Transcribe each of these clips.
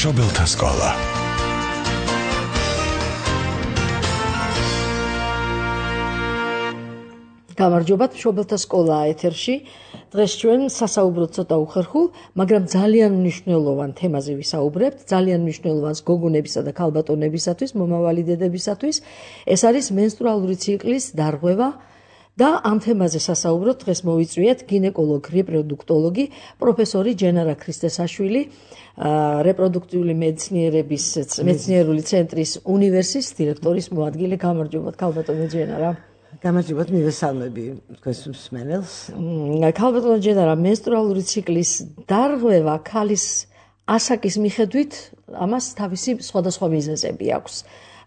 მშობელთა სკოლა. გამარჯობათ, მშობელთა სკოლა ეთერში. დღეს ჩვენ სასაუბროდ ცოტა უხერხულ, მაგრამ ძალიან მნიშვნელოვან თემაზე ვისაუბრებთ, ძალიან მნიშვნელოვანს გოგონებისა და ქალბატონებისათვის, მომავალი დედებისათვის. ეს არის მენსტრუალური ციკლის დარღვევა და ამ თემაზე სასაუბროთ დღეს მოვიწვიეთ გინეკოლოგ, რეპროდუქტოლოგი, პროფესორი ჯენარა ქრისტესაშვილი, რეპროდუქტიული მეცნიერების მეცნიერული ცენტრის უნივერსის დირექტორის მოადგილე. გამარჯობათ, ქალბატონო ჯენარა. გამარჯობათ, მივესალმები თქვენს მსმენელს. ქალბატონო ჯენარა, მენსტრუალური ციკლის დარღვევა ქალის ასაკის მიხედვით ამას თავისი სხვადასხვა მიზეზები აქვს.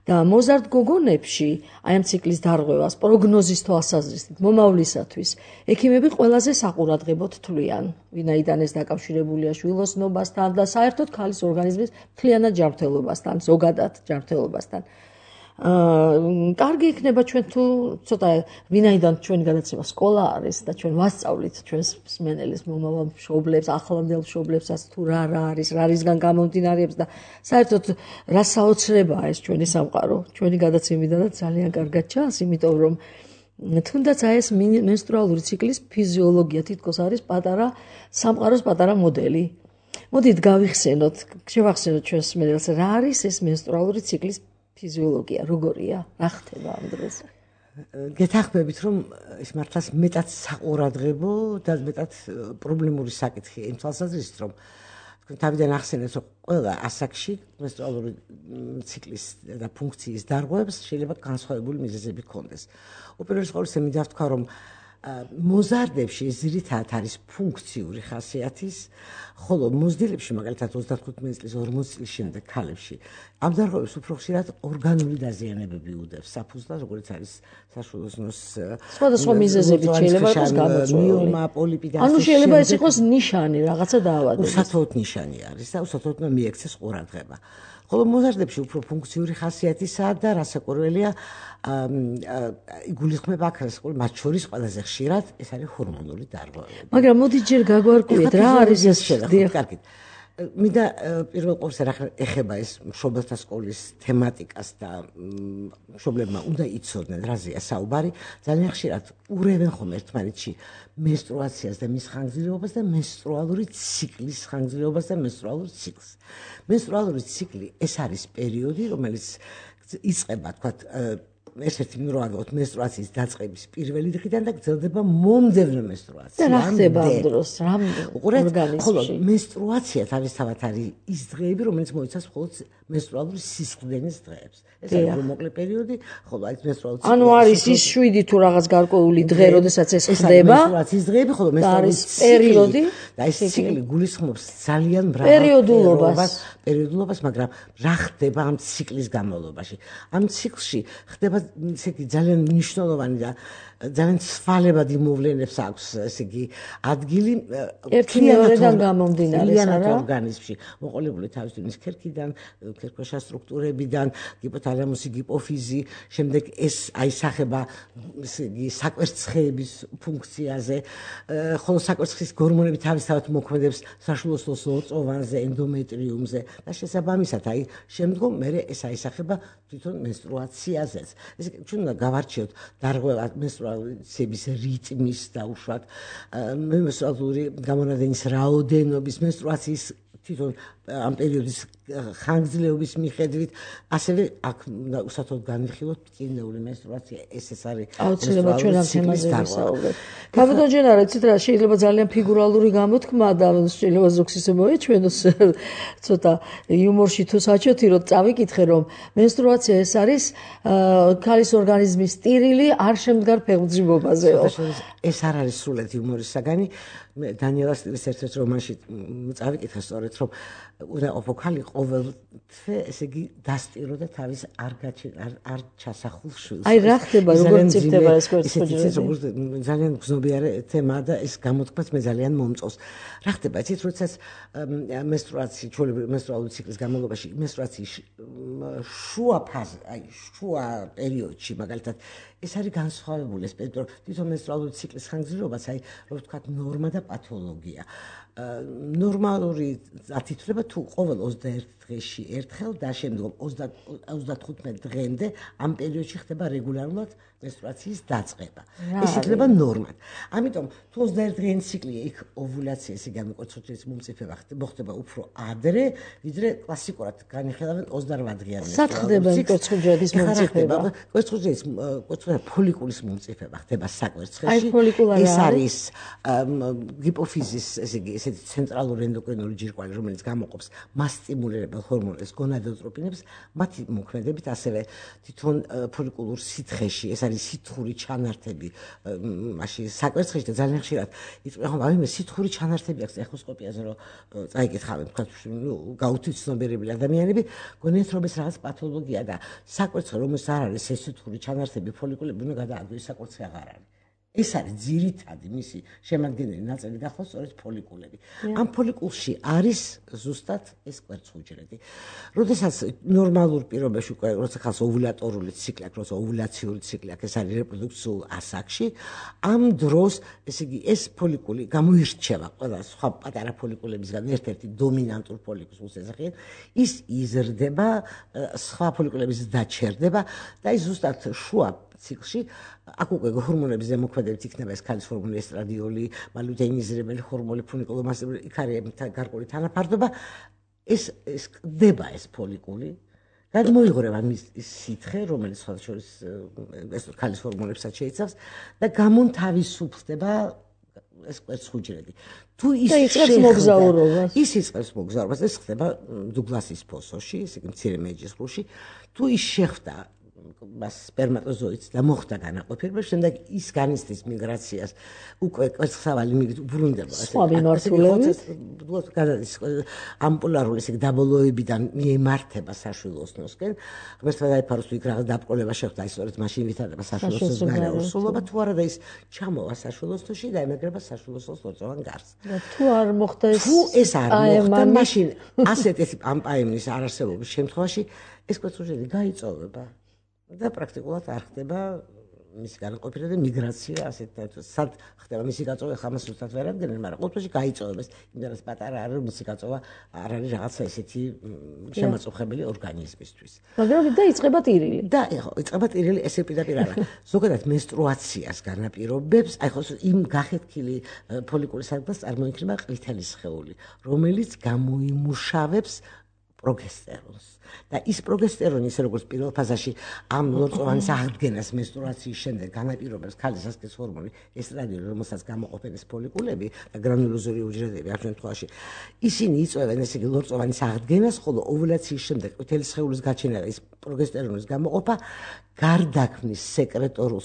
და მოზარდ გოგონებში აი ამ ციკლის დარღვევას პროგნოზის თვალსაზრისით მომავლისათვის ექიმები ყველაზე საყურადღებოდ თვლიან, ვინაიდან ეს დაკავშირებულია შვილოსნობასთან და საერთოდ ქალის ორგანიზმის მთლიანად ჯანმრთელობასთან, ზოგადად ჯანმრთელობასთან. კარგი იქნება ჩვენ თუ ცოტა ვინაიდან ჩვენი გადაცემა სკოლა არის და ჩვენ ვასწავლით ჩვენს მსმენელს, მომავალ მშობლებს, ახლანდელ მშობლებსაც თუ რა არის, რა რისგან გამომდინარეობს და საერთოდ რა საოცრებაა ეს ჩვენი სამყარო. ჩვენი გადაცემიდანაც ძალიან კარგად ჩანს, იმიტომ რომ თუნდაც აი ეს მენსტრუალური ციკლის ფიზიოლოგია თითქოს არის პატარა სამყაროს პატარა მოდელი. მოდით გავიხსენოთ, შევახსენოთ ჩვენს მსმენელს, რა არის ეს მენსტრუალური ციკლის ფიზიოლოგია, როგორია, რა ხდება ამ დროს? გეთახმებით, რომ ეს მართლაც მეტად საყურადღებო და მეტად პრობლემური საკითხია იმ თვალსაზრისით, რომ თქვენ თავიდან ახსენეთ, რომ ყველა ასაკში მენსტრუალური ციკლის და ფუნქციის დარღვევებს შეიძლება განსხვავებული მიზეზები ჰქონდეს. უპირველეს ყოვლისა მინდა ვთქვა, რომ მოზარდებში ძირითადად არის ფუნქციური ხასიათის, ხოლო მოზრდილებში, მაგალითად 35 წლის, 40 წლის შემდეგ ქალებში, ამ დარღვევებს უფრო ხშირად ორგანული დაზიანებები უდევს საფუძვლად, როგორც არის საშვილოსნოს სხვადასხვა მიზეზებით შეიძლება იყოს გამოწვეული. მიომა, პოლიპი და ანუ შეიძლება ეს იყოს ნიშანი, რაღაცა დაავადების. უსათოოდ ნიშანი არის და უსათოოდ მიექცეს ყურადღება. ხოლო მოზარდებში უფრო ფუნქციური ხასიათისაა და რასაკვირველია, იგულისხმება აქ მათ შორის ყველაზე ხშირად ეს არის ჰორმონული დარღვევები. მაგრამ მოდით ჯერ გაგვარკვიეთ, რა არის ეს შეგახსოვთ, კარგით. მინდა პირველ ყოვლისა ეხება ეს მშობელთა სკოლის თემატიკას და მშობლებმა უნდა იცოდნენ, რაზეა საუბარი. ძალიან ხშირად ურევენ ხოლმე ერთმანეთში მენსტრუაციას და მის ხანგრძლივობას და მენსტრუალური ციკლის ხანგრძლივობას და მენსტრუალურ ციკლს. მენსტრუალური ციკლი ეს არის პერიოდი, რომელიც იწყება, თქვათ, ერთ-ერთი მრავლად მენსტრუაციის დაწყების პირველი დღიდან და გრძელდება მომდევნო მენსტრუაცია. და რა ხდება ამ დროს? რა ორგანიზმში? ხოლო მენსტრუაცია თავისთავად არის ის დღეები, რომელიც მოიცავს მხოლოდ მენსტრუალური სისხლდენის დღეებს. ეს არის მოკლე პერიოდი, ხოლო აი მენსტრუალური ციკლი. ანუ არის ის 7 თუ რაღაც გარკვეული დღე, როდესაც ეს ხდება. მენსტრუაციის დღეები, ხოლო მენსტრუალური პერიოდი და ეს ციკლი გულისხმობს ძალიან მრავალ პერიოდულობას, მაგრამ რა ხდება ამ ციკლის განმავლობაში? ამ ციკლში ხდება ესე იგი ძალიან მნიშვნელოვანი და ძალიან ცვალებად იმოვლენებს აქვს, ესე იგი ადგილი ერთიანობიდან გამომდინარე ორგანიზმში, მოყოლებული თავისთავად ქერქიდან, ქერქქვეშა სტრუქტურებიდან, ჰიპოთალამუსი, ჰიპოფიზი, შემდეგ ეს აისახება ესე იგი საკვერცხეების ფუნქციაზე, ხოლო საკვერცხის გორმონები თავისთავად მოქმედებს საშვილოსნოს ლორწოვანზე, ენდომეტრიუმზე და შესაბამისად, აი შემდგომ მე ეს აისახება თვითონ მენსტრუაციაზეც. ესე ჩვენ უნდა გავარჩიოთ დარღვევა მენსტრუაციების რიტმის დაუშვათ, მენსტრუალური გამონადენის რაოდენობის, მენსტრუაციის თვითონ ამ პერიოდის ხანგრძლივობის მიხედვით, ასევე აქ უნდა უსათოდ განვიხილოთ ტკივნეული მენსტრუაცია, ეს არის აუცილებლად ჩვენ ამ თემაზე ვისაუბრებთ. ქალბატონო ჯენარა, იცით რა, შეიძლება ძალიან ფიგურალური გამოთქმა და შეიძლება ზოგს ისე მოეჩვენოს ცოტა იუმორში თუ საჩოთიროთ, წავიკითხე რომ მენსტრუაცია ეს არის ქალის ორგანიზმის ტირილი არ შემდგარ ფეხმძიმობაზეო. ეს არ არის სრულად იუმორის საგანი. მე დანიელა სტილის ერთ-ერთ რომანში წავიკითხე სწორედ რომ უნდა ყოფილიყო ქალი ყოველთვე, ესე იგი დასტიროდა თავის არ ჩასახულ შვილს. აი რა ხდება, როგორ წირდება ეს კვერცხუჯრედი? ძალიან გზნობიარე თემაა და ეს გამოთქმაც მე ძალიან მომწონს. რა ხდება, იცით, როდესაც მენსტრუაცია, ჩვეულებრივ მენსტრუალური ციკლის განმავლობაში მენსტრუაციის შუა ფაზა, შუა პერიოდში, მაგალითად, ეს არის განსხვავებული ეს პერიოდი, თვითონ მენსტრუალური ციკლის ხანგრძლივობაც, რო ვთქვათ, ნორმა და პათოლოგია. ნორმალური ათითვლება თუ ყოველ 21 დღეში ერთხელ და შემდგომ 35 დღემდე ამ პერიოდში ხდება რეგულარულად menstruაციის დაწყება. ეს იქნება ნორმად. ამიტომ თუ 21 დღიანი ციკლია, იქ ოვულაცია, ესე გამიკვეთროთის მომწიფება მოხდება უფრო ადრე, ვიდრე კლასიკურად განიხილავენ 28 დღიანი menstruatsiას. სად ხდება კვერცხუჯრედის მომწიფება? კვერცხუჯრედის ფოლიკულის მომწიფება ხდება საკვერცხეში. აი ფოლიკულარი ეს არის ჰიპოფიზის, ესე იგი, ესეთი ცენტრალური ენდოკრინული ჯირკვალი, რომელიც გამოყოფს მასტიმულირებელ ჰორმონებს, გონადოტროპინებს, მათი მოქმედებით ასევე თვითონ ფოლიკულურ სითხეში, ეს არის სითხური ჩანართები, მაშინ საკვერცხეში და ძალიან ხშირად იწვება, მე სითხური ჩანართები აქვს ეხოსკოპიაზე, რომ წაიკითხავენ, თქვა, გაუთვის ცნობიერებული ადამიანები, გონიათ რომ ეს რაღაც პათოლოგია და საკვერცხე რომელსაც არ არის ეს სითხური ჩანართები, ფოლიკულები უნდა გადააგდეს, საკვერცხე აღარ არის. ეს არის ძირითადი მისი შემადგენელი ნაწილი გახლავს სწორედ ფოლიკულები. ამ ფოლიკულში არის ზუსტად ეს კვერცხუჯრედი. როდესაც ნორმალურ პირობებში უკვე როცა ხალხს ოვულატორული ციკლი აქვს, როცა ოვულაციური ციკლი აქვს, ეს არის რეპროდუქციულ ასაკში, ამ დროს, ესე იგი, ეს ფოლიკული გამოირჩევა ყველა სხვა პატარა ფოლიკულებისგან ერთ-ერთი დომინანტურ ფოლიკულს ეძახიან, ის იზრდება, სხვა ფოლიკულების დაჩერდება და ის ზუსტად შუა ციკლში აქ უკვე ჰორმონების ზემოქმედებით იქნება ეს ქალის ჰორმონი, ესტრადიოლი, მალუტეინიზირებელი ჰორმონი, ფუნიკულომასტიბული, იქ არის გარკვეული თანაფარდობა, ეს კდება ეს ფოლიკული, გადმოიღრება მის სითხე, რომელიც სხვადასხვა ეს ქალის ჰორმონებსაც შეიცავს და გამონთავისუფლდება ეს კვერცხუჯრედი. თუ ის იწყებს მოგზაურობას. ის იწყებს მოგზაურობას, ეს ხდება დუგლასის ფოსოში, ესე იგი მცირე მეჯის ღრუში, თუ ის შეხვდა მას სპერმატოზოიდს და მოხდა განაყოფილება, შემდეგ ის განიცდის მიგრაციას, უკვე კვერცხსავალი უბრუნდება. სხვა მიმართულებით გადადის ამპულარული, ესე იგი დაბოლოებიდან მიემართება საშვილოსნოსკენ. ღმერთმა დაიფაროს თუ იქ რაღაც დაბრკოლება შეხვდა, ის სწორედ მაშინ ვითარდება საშვილოსნოს გარსულობა, თუ არა და ის ჩამოვა საშვილოსნოში და ემაგრება საშვილოსნოს ლორწოვან გარს. თუ არ მოხდა ეს თუ ეს არ მოხდა, მაშინ ასეთი ამპაემნის არარსებობის შემთხვევაში ეს კვერცხუჯრედი გაიწოვება. და პრაქტიკულად არ ხდება მისი განაყოფილება და მიგრაცია ასეთ სად ხდება მისი გაწოვა, ხა მას უბრალოდ ვერ ადგენენ, მაგრამ ყოველთვის გაიწოვება, იმდენად პატარა არის, რომ მისი გაწოვა არ არის რაღაცა ესეთი შემაწუხებელი ორგანიზმისთვის. მაგრამ დაიწყება ტირილი. და ეხლა იწყება ტირილი, ესე პირდაპირ არა. ზოგადად menstruatsiას განაპირობებს, აი ხო იმ გახეთქილი ფოლიკულის ადგილას წარმოიქმნება ყვითელი სხეული, რომელიც გამოიმუშავებს პროგესტერონს. და ის პროგესტერონი, ისე როგორც პირველ ფაზაში ამ ლორწოვანის აღდგენას menstruatsიის შემდეგ განაპირობებს ქალის სასქესო ჰორმონი ესტრადიოლი, რომელსაც გამოყოფენ ეს ფოლიკულები და გრანულოზური უჯრედები ამ შემთხვევაში, ისინი იწვევენ ესე იგი ლორწოვანის აღდგენას, ხოლო ოვულაციის შემდეგ ყვითელი სხეულის გაჩენა და ის პროგესტერონის გამოყოფა გარდაქმნის სეკრეტორულ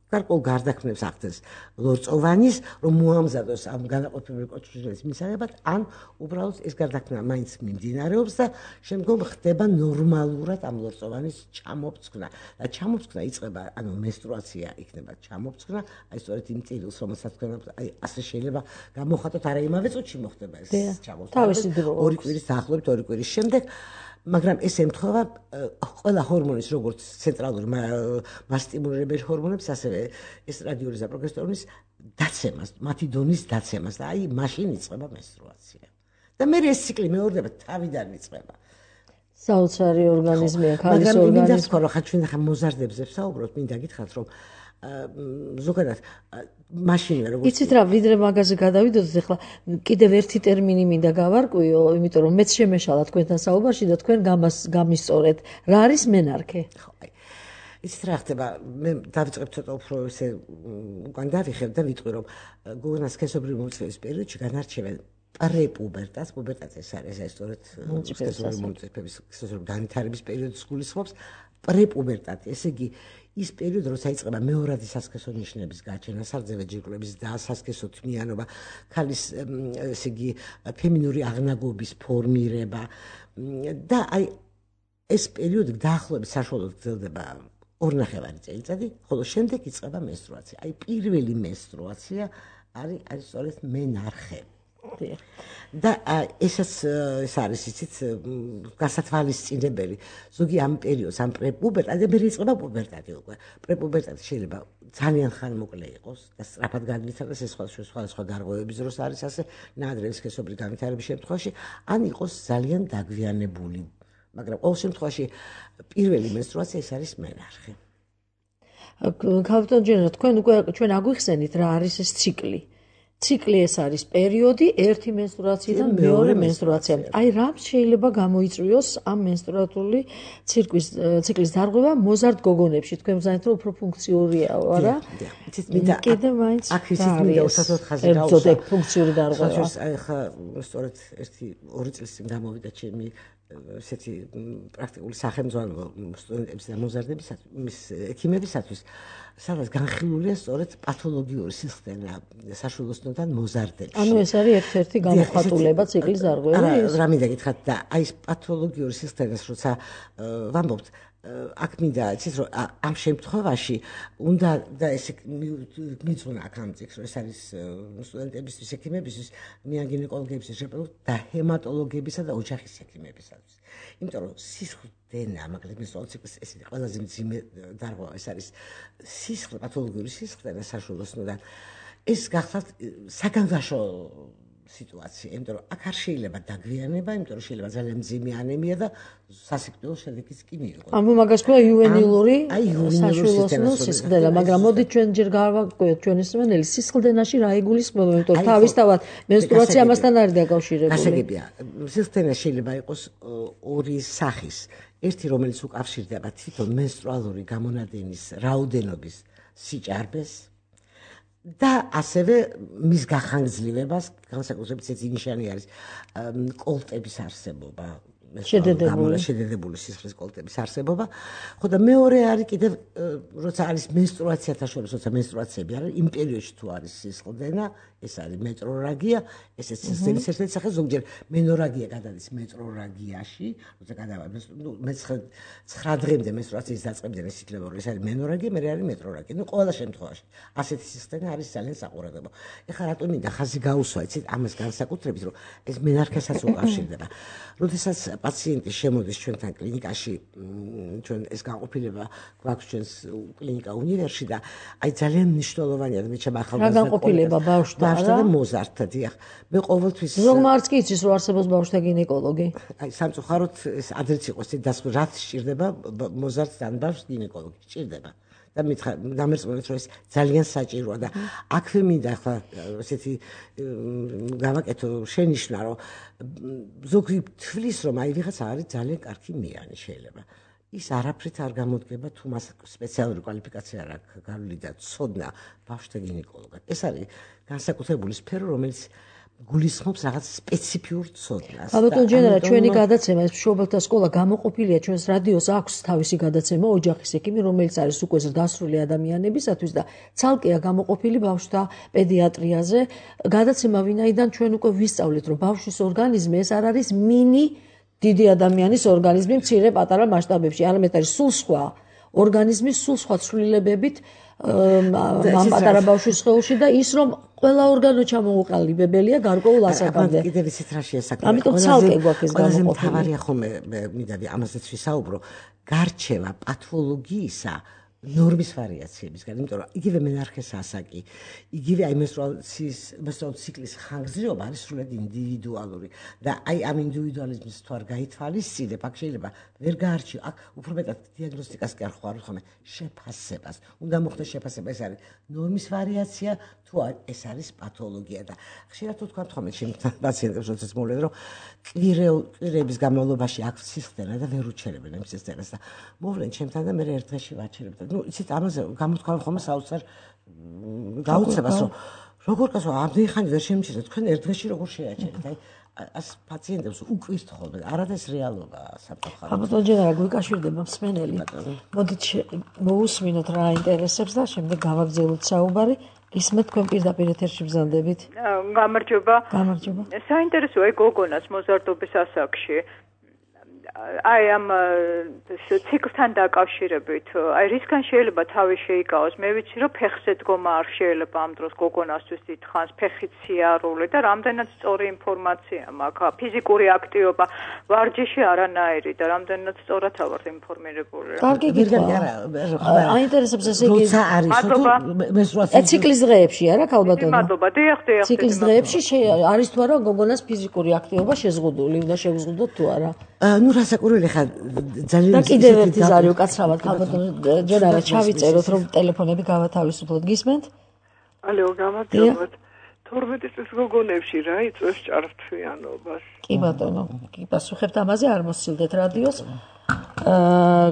გარკვეულ გარდაქმნებს ახდენს ლორწოვანის, რომ მოამზადოს ამ განაყოფილებელი კვერცხუჯრედის მისაღებად, ან უბრალოდ ეს გარდაქმნა მაინც მიმდინარეობს და შემდგომ ხდება ნორმალურად ამ ლორწოვანის ჩამოფცქნა. და ჩამოფცქნა იწყება, ანუ menstruatsiya იქნება ჩამოფცქნა, აი სწორედ იმ წილს, რომელსაც თქვენ აი ასე შეიძლება გამოხატოთ, არა იმავე წუთში მოხდება ეს ჩამოფცქნა. ორი კვირის დაახლოებით, ორი კვირის შემდეგ მაგრამ ეს ემთხვევა ყველა ჰორმონის, როგორც ცენტრალური მასტიმულირებელი ჰორმონებს, ასევე ესტრადიოლის და პროგესტერონის დაცემას, მათი დონის დაცემას და აი მაშინ იწყება menstruatsiya. და მე ეს ციკლი მეორდება, თავიდან იწყება. საოცარი ორგანიზმია ქალის ორგანიზმი. მაგრამ მინდა თქვა, რომ ჩვენ ახლა მოზარდებზე ვსაუბრობთ, მინდა გითხრათ, რომ ზოგადად მაშინ როგორც იცით რა, ვიდრე მაგაზე გადავიდოდეთ, ახლა კიდევ ერთი ტერმინი მინდა გავარკვიო, იმიტომ რომ მეც შემეშალა თქვენთან საუბარში და თქვენ გამისწორეთ. რა არის მენარქე? ხო, აი. იცით რა ხდება, მე დავიწყებ ცოტა უფრო ესე უკან დავიხებ და ვიტყვი, რომ გოგონას სქესობრივი მომწიფების პერიოდში განარჩევენ პრეპუბერტას, პუბერტატი ეს არის ეს სწორედ სქესობრივი მომწიფების სქესობრივი განვითარების პერიოდს გულისხმობს. პრეპუბერტატი, ესე იგი ის პერიოდი, როცა იწყება მეორადი სასქესო ნიშნების გაჩენა, სარძევე ჯირკვლების და სასქესო თმიანობა, ქალის ესე იგი ფემინური აღნაგობის ფორმირება და აი ეს პერიოდი დაახლოებით საშუალოდ გრძელდება 2.5 წელიწადი, ხოლო შემდეგ იწყება menstruatsiya. აი პირველი menstruatsiya არის სწორედ მენარხე. და ესაც ეს არის იცით გასათვალისწინებელი ზოგი ამ პერიოდს ამ პრეპუბერტად მე იწყება პუბერტატი უკვე პრეპუბერტატი შეიძლება ძალიან ხანმოკლე იყოს და სწრაფად განვითარდეს ეს სხვა დარღვევების დროს არის ასე ნაადრევი სქესობრივი განვითარების შემთხვევაში ან იყოს ძალიან დაგვიანებული მაგრამ ყოველ შემთხვევაში პირველი მენსტრუაცია ეს არის მენარხი ქალბატონ ჯენა თქვენ უკვე ჩვენ აგვიხსენით რა არის ეს ციკლი ციკლი ეს არის პერიოდი ერთი მენსტრუაციიდან მეორე მენსტრუაციამდე. აი რამ შეიძლება გამოიწვიოს ამ მენსტრუალური ციკლის დარღვევა მოზარდ გოგონებში. თქვენ მზანით რომ უფრო ფუნქციურია, არა? კიდე მაინც აქ ისიც მინდა უსათოდ ხაზი გავუსვა. ფუნქციური დარღვევა. აი ხა სწორედ 1-2 წლის წინ გამოვიდა ჩემი ესეთი პრაქტიკული სახელმძღვანელო სტუდენტების და მოზარდებისათვის, მის ექიმებისათვის, სადაც განხილულია სწორედ პათოლოგიური სისტემა საშუალოსნოდან მოზარდებში. ანუ ეს არის ერთ-ერთი გამოხატულება ციკლის დარღვევის. რა მინდა გითხრათ და აი ეს პათოლოგიური სისტემას როცა ვამბობთ აქ მინდა იცით რომ ამ შემთხვევაში უნდა და ესე მიწუნა აქ ამ წიგნს რომ ეს არის სტუდენტებისთვის ექიმებისთვის მიანგინეკოლოგებისთვის და ჰემატოლოგებისა და ოჯახის ექიმებისათვის იმიტომ რომ სისხლდენა მაგალითად მენსტრუალური ციკლის ესე ყველაზე მძიმე დარღვევა ეს არის სისხლ პათოლოგიური სისხლდენა საშუალოსნოდან ეს გახლავთ საგანგაშო სიტუაცია, იმიტომ რომ აქ არ შეიძლება დაგვიანება, იმიტომ რომ შეიძლება ძალიან მძიმე ანემია და სასიკვდილო შედეგიც კი მიიღოს. ანუ მაგას ქვია იუვენილური საშუალოსნო სისხლდენა, მაგრამ მოდით ჩვენ ჯერ გავაკვირდეთ ჩვენი მსმენელი სისხლდენაში რა იგულისხმება, იმიტომ რომ თავისთავად მენსტრუაცია ამასთან არის დაკავშირებული. გასაგებია, სისხლდენა შეიძლება იყოს ორი სახის. ერთი რომელიც უკავშირდება თვითონ მენსტრუალური გამონადენის რაოდენობის სიჭარბეს და ასევე მის გახანგრძლივებას, განსაკუთრებით ესეთი ნიშანი არის კოლტების არსებობა, შედედებული სისხლის კოლტების არსებობა. ხო და მეორე არის კიდევ როცა არის მენსტრუაციათა შორის, როცა მენსტრუაციები არის, იმ პერიოდში თუ არის სისხლდენა, ეს არის მეტრორაგია, ესეც სისტემის ერთ-ერთი სახე, ზოგჯერ მენორაგია გადადის მეტრორაგიაში, როცა გადავა 9 დღემდე მენსტრუაციის დაწყებიდან ის ითვლება, რომ ეს არის მენორაგია, მე არის მეტრორაგია. ნუ ყველა შემთხვევაში ასეთი სისტემა არის ძალიან საყურადღებო. ეხლა რატო მინდა ხაზი გაუსვა, იცით, ამას განსაკუთრებით, რომ ეს მენარქესაც უკავშირდება. როდესაც პაციენტი შემოდის ჩვენთან კლინიკაში, ჩვენ ეს განყოფილება გვაქვს ჩვენს კლინიკა უნივერსში და აი ძალიან მნიშვნელოვანია და მე ჩემ ახალგაზრდა განყოფილება ბავშვთა და მოზარდთა დიახ. მე ყოველთვის ზოგმარც კი იცის რომ არსებობს ბავშვთა გინეკოლოგი. აი სამწუხაროდ ეს ადრეც იყოს ეს დასკვნილი რაც სჭირდება მოზარდს ან ბავშვს გინეკოლოგი სჭირდება. და დამერწმუნეთ რომ ეს ძალიან საჭიროა და აქვე მინდა ახლა ესეთი გავაკეთო შენიშვნა რომ ზოგი თვლის რომ აი ვიღაცა არის ძალიან კარგი მიანი შეიძლება ის არაფრით არ გამოდგება თუ მას სპეციალური კვალიფიკაცია არ აქვს გავლილი და ცოდნა ბავშვთა გინეკოლოგად ეს არის განსაკუთრებული სფერო რომელიც გულისხმობს რაღაც სპეციფიურ ცოდნას. ალბათ ჯენერა ჩვენი გადაცემა ეს მშობელთა სკოლა გამოყოფილია ჩვენს რადიოს აქვს თავისი გადაცემა ოჯახის ექიმი რომელიც არის უკვე დასრული ადამიანებისათვის და ცალკეა გამოყოფილი ბავშვთა პედიატრიაზე გადაცემა ვინაიდან ჩვენ უკვე ვისწავლეთ რომ ბავშვის ორგანიზმი ეს არ არის მინი დიდი ადამიანის ორგანიზმი მცირე პატარა მასშტაბებში არამედ არის სულ სხვა ორგანიზმი სულ სხვა ცვლილებებით ამ პატარა ბავშვის სხეულში და ის რომ ყველა ორგანო ჩამოუყალიბებელია გარკვეულ ასაკამდე. კიდევ ისეთ რაშია საქმე. ამიტომ ცალკე გვაქვს ეს გამოყოფილი. მთავარია ხოლმე მინდა ამაზეც ვისაუბრო. გარჩევა პათოლოგიისა ნორმის ვარიაციებისგან, იმიტომ რომ იგივე მენარქეს ასაკი, იგივე აი მენსტრუალური ციკლის ხანგრძლივობა არის სრულად ინდივიდუალური და აი ამ ინდივიდუალიზმის თუ არ გაითვალისწინებ, აქ შეიძლება ვერ გაარჩიო, აქ უფრო მეტად დიაგნოსტიკას კი არ ხوارთ ხოლმე, შეფასებას. უნდა მოხდეს შეფასება, ეს არის ნორმის ვარიაცია თუ ეს არის პათოლოგია და ხშირად თუ თქვა ხოლმე ჩემთან პაციენტებს როდესაც მოვლენ რომ კვირების განმავლობაში აქვს სისხლდენა და ვერ უჩერებენ ამ სისხლდენას და მოვლენ ჩემთან და მე ერთ დღეში ვაჩერებ და ნუ იცით ამაზე გამოთქვა ხოლმე საოცარ გაუცებას რომ როგორ კაცო ამდენი ხანი ვერ შემიჩერდა თქვენ ერთ დღეში როგორ შეაჩერეთ აი ას პაციენტებს უკვირთ ხოლმე არადა ეს რეალობაა საფრთხე. ალბათ ჯერა გვიკავშირდება მსმენელი. მოდით მოусმინოთ რა ინტერესებს და შემდეგ გავაგრძელოთ საუბარი. ისმეთ თქვენ პირდაპირ ეთერში ბრძანდებით. გამარჯობა. გამარჯობა. საინტერესოა გოგონას მოზარდობის ასაკში. აი ამ ციკლთან დაკავშირებით, აი რისგან შეიძლება თავი შეიკავოს? მე ვიცი, რომ ფეხზე დგომა არ შეიძლება ამ დროს გოგონასთვის დიდხანს, ფეხით სიარული და რამდენად სწორი ინფორმაცია მაქვს, ფიზიკური აქტივობა, ვარჯიში არანაირი და რამდენად სწორად ავარ ინფორმირებული. კარგი გითხრა. აინტერესებს ესე იგი ციკლის დღეებში არა ქალბატონო? მადლობა, დიახ. ციკლის დღეებში არის თუ არა გოგონას ფიზიკური აქტივობა შეზღუდული, უნდა შევზღუდოთ თუ არა? ნუ რასაკვირველი ხარ ძალიან და კიდევ ერთი ზარი უკაცრავად ქალბატონო ჯერარა ჩავიწეროთ რომ ტელეფონები გავათავისუფლოთ. გისმენთ? ალო, გამარჯობათ. 12 წლის გოგონებში რა იწვევს ჭარბთვიანობას? კი ბატონო, კი პასუხებთ ამაზე არ მოსცილდეთ რადიოს.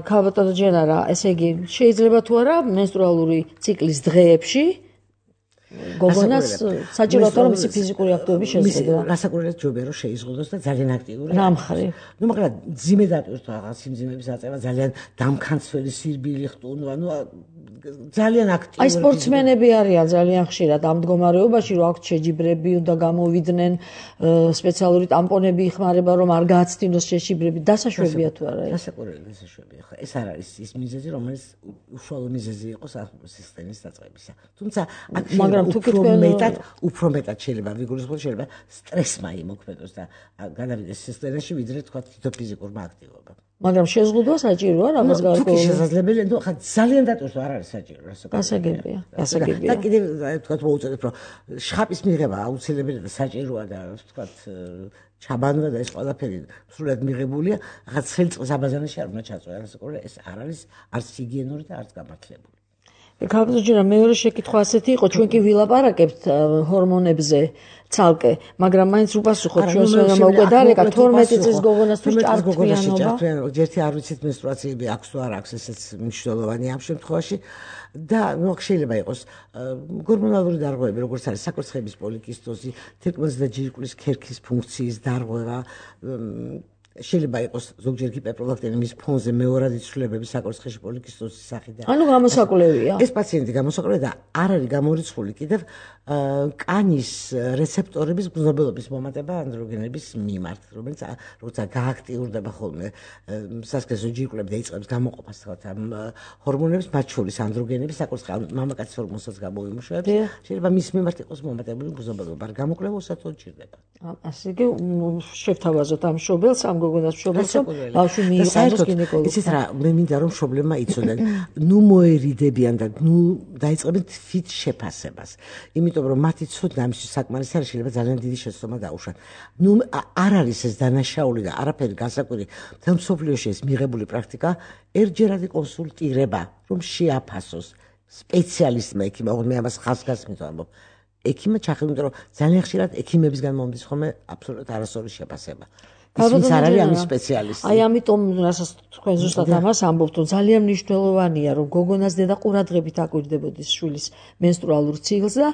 ქალბატონო ჯენარა, ესე იგი შეიძლება თუ არა მენსტრუალური ციკლის დღეებში გოგონას საჭიროა რომ მისი ფიზიკური აქტივობის შეზღუდვა. რასაკვირველია ჯობია რომ შეიზღუდოს და ძალიან აქტიური. რა მხრივ? ნუ მაგრამ ძიმე დატვირთვა რაღაც სიმძიმების აწევა, ძალიან დამქანცველი სირბილი ხტუნ, ანუ ძალიან აქტიური. აი სპორტსმენები არიან ძალიან ხშირად ამ მდგომარეობაში, რომ აქვთ შეჯიბრები, უნდა გამოვიდნენ, სპეციალური ტამპონები იხმარება, რომ არ გააცდინოს შეჯიბრები. დასაშვებია თუ არა ეს? დასაკვირველი დასაშვებია. ხო, ეს არ არის ის მიზეზი, რომელიც უშუალო მიზეზი იყოს სისტემის დაწყებისა. თუმცა აქ უფრო მეტად შეიძლება ვიგულისხმოთ, შეიძლება სტრესმა იმოქმედოს და განავიდეს სისტემაში, ვიდრე თქვა თვითონ ფიზიკურმა აქტივობამ. მაგრამ შეზღუდვა საჭიროა რამაც გარკვეული. თუ შესაძლებელია, ნუ ხა ძალიან დატვირთვა არ არის საჭირო, გასაგებია. და კიდევ თქვა მოუწოდებ, რომ შხაპის მიღება აუცილებელია და საჭიროა და თქვა ჩაბანვა და ეს ყველაფერი სრულად მიღებულია, რაღაც ხელწყის აბაზანაში არ უნდა ჩაწვევა, ეს არ არის არც ჰიგიენური და არც გამართლებული. ქალბატონო, მეორე შეკითხვა ასეთი იყო, ჩვენ კი ვილაპარაკებთ ჰორმონებზე ცალკე, მაგრამ მაინც უპასუხოთ ჩვენს უკვე დარეკა 12 წლის გოგონას თუ ჭარბთვიანობა. ერთი არ ვიცით მენსტრუაციები აქვს თუ არ აქვს, ესეც მნიშვნელოვანია ამ შემთხვევაში და ნუ შეიძლება იყოს ჰორმონალური დარღვევები, როგორც არის საკურთხევის პოლიკისტოზი, თირკმლის და ჯირკვლის ქერქის ფუნქციის დარღვევა, შეიძლება იყოს ზოგჯერ ჰიპერპროლაქტინემიის ფონზე მეორადი ცვლილებები საკურთხეში პოლიკისტოზის სახიდან. ანუ გამოსაკვლევია. ეს პაციენტი გამოსაკვლევია და არ არის გამორიცხული კიდევ კანის რეცეპტორების გრძნობელობის მომატება ანდროგენების მიმართ, რომელიც როცა გააქტიურდება ხოლმე სასქესო ჯირკვლები და იწყებს გამოყოფას ამ ჰორმონების, მათ შორის ანდროგენების საკურთხევი მამაკაცის ჰორმონსაც გამოვიმუშავებს, შეიძლება მის მიმართ იყოს მომატებული გრძნობელობა, არ გამოკვლევა უსათოდ ჭირდება. ასე იგი შევთავაზოთ ამ მშობელს, ამ გოგონას მშობელს, რომ ბავშვი მიიყვანოს გინეკოლოგთან. იცით რა, მე მინდა რომ მშობლებმა იცოდნენ, ნუ მოერიდებიან და ნუ დაიწყებენ თვით შეფასებას. იმიტომ რომ მათი ცოდნა ამის საკმარისი არის, შეიძლება ძალიან დიდი შეცდომა დაუშვან. ნუ არ არის ეს დანაშაული და არაფერი განსაკუთრებული მთელ მსოფლიოში ეს მიღებული პრაქტიკა, ერთჯერადი კონსულტირება, რომ შეაფასოს სპეციალისტმა ექიმმა, მე ამას ხაზგასმით ვამბობ. ექიმმა ჩახელმდა, რომ ძალიან ხშირად ექიმებისგან მომდის ხოლმე აბსოლუტურად არასწორი შეფასება. ის არ არის ამის სპეციალისტი. აი ამიტომ რასაც თქვენ ზუსტად ამას ამბობთ, რომ ძალიან მნიშვნელოვანია, რომ გოგონას დედა ყურადღებით აკვირდებოდეს შვილის მენსტრუალურ ციკლს და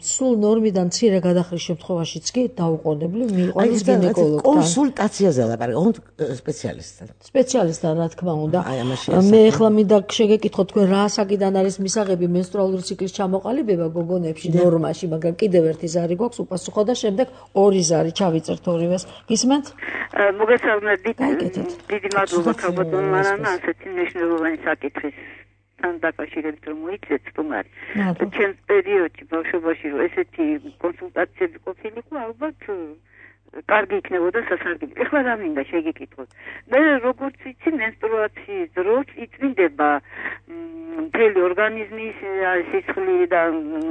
სულ ნორმიდან მცირე გადახრის შემთხვევაშიც კი დაუყოვნებლივ მიიყვანოს გინეკოლოგთან. კონსულტაციაზე ლაპარაკობთ სპეციალისტთან. სპეციალისტთან, რა თქმა უნდა. მე ახლა მინდა შეგეკითხოთ თქვენ რა ასაკიდან არის მისაღები მენსტრუალური ციკლის ჩამოყალიბება გოგონებში ნორმაში, მაგრამ კიდევ ერთი ზარი გვაქვს უპასუხო და შემდეგ ორი ზარი ჩავიწერთ ორივეს. გისმენთ? მოგესალმებით. დიდი მადლობა ქალბატონო მარანა ასეთი მნიშვნელოვანი საკითხის თან დაკავშირებით რომ მოიცეთ სტუმარი. ჩემს პერიოდში ბავშვობაში რომ ესეთი კონსულტაციები ყოფილიყო, ალბათ კარგი იქნებოდა სასარგებლო. ეხლა რა მინდა შეგეკითხოთ. მე როგორც ვიცი, მენსტრუაციის დროს იწმინდება მთელი ორგანიზმის სისხლი და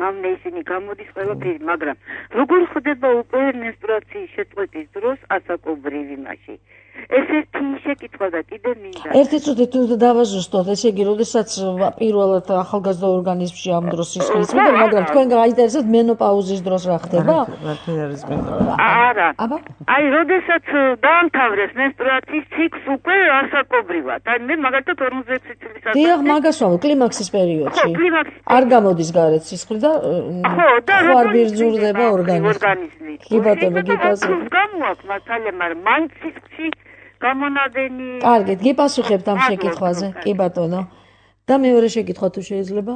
მამნე ისინი გამოდის ყველაფერი, მაგრამ როგორ ხდება უკვე მენსტრუაციის შეწყვეტის დროს ასაკობრივი მასში? ესეთი შეკითხვა და კიდე მინდა. ერთი წუთი თუ დავაზუსტოთ, ესე იგი, როდესაც პირველად ახალგაზრდა ორგანიზმში ამ დროს სისხლის მიდევ, მაგრამ თქვენ გაინტერესებთ მენოპაუზის დროს რა ხდება? არა. აი, როდესაც დაამთავრეს მენსტრუაციის ციკლს უკვე ასაკობრივად. აი, მე მაგალითად 46 წლის ასაკში. დიახ, მაგას ვამბობ, კლიმაქსის პერიოდში. არ გამოდის გარეთ სისხლი და არ ბირძურდება ორგანიზმი. კი ბატონო, გიპასუხებთ. გამოაქვს მასალა, მაგრამ მან სისხლში გამონადენი. კარგით, გიპასუხებთ ამ შეკითხვაზე. კი ბატონო. და მეორე შეკითხვა თუ შეიძლება?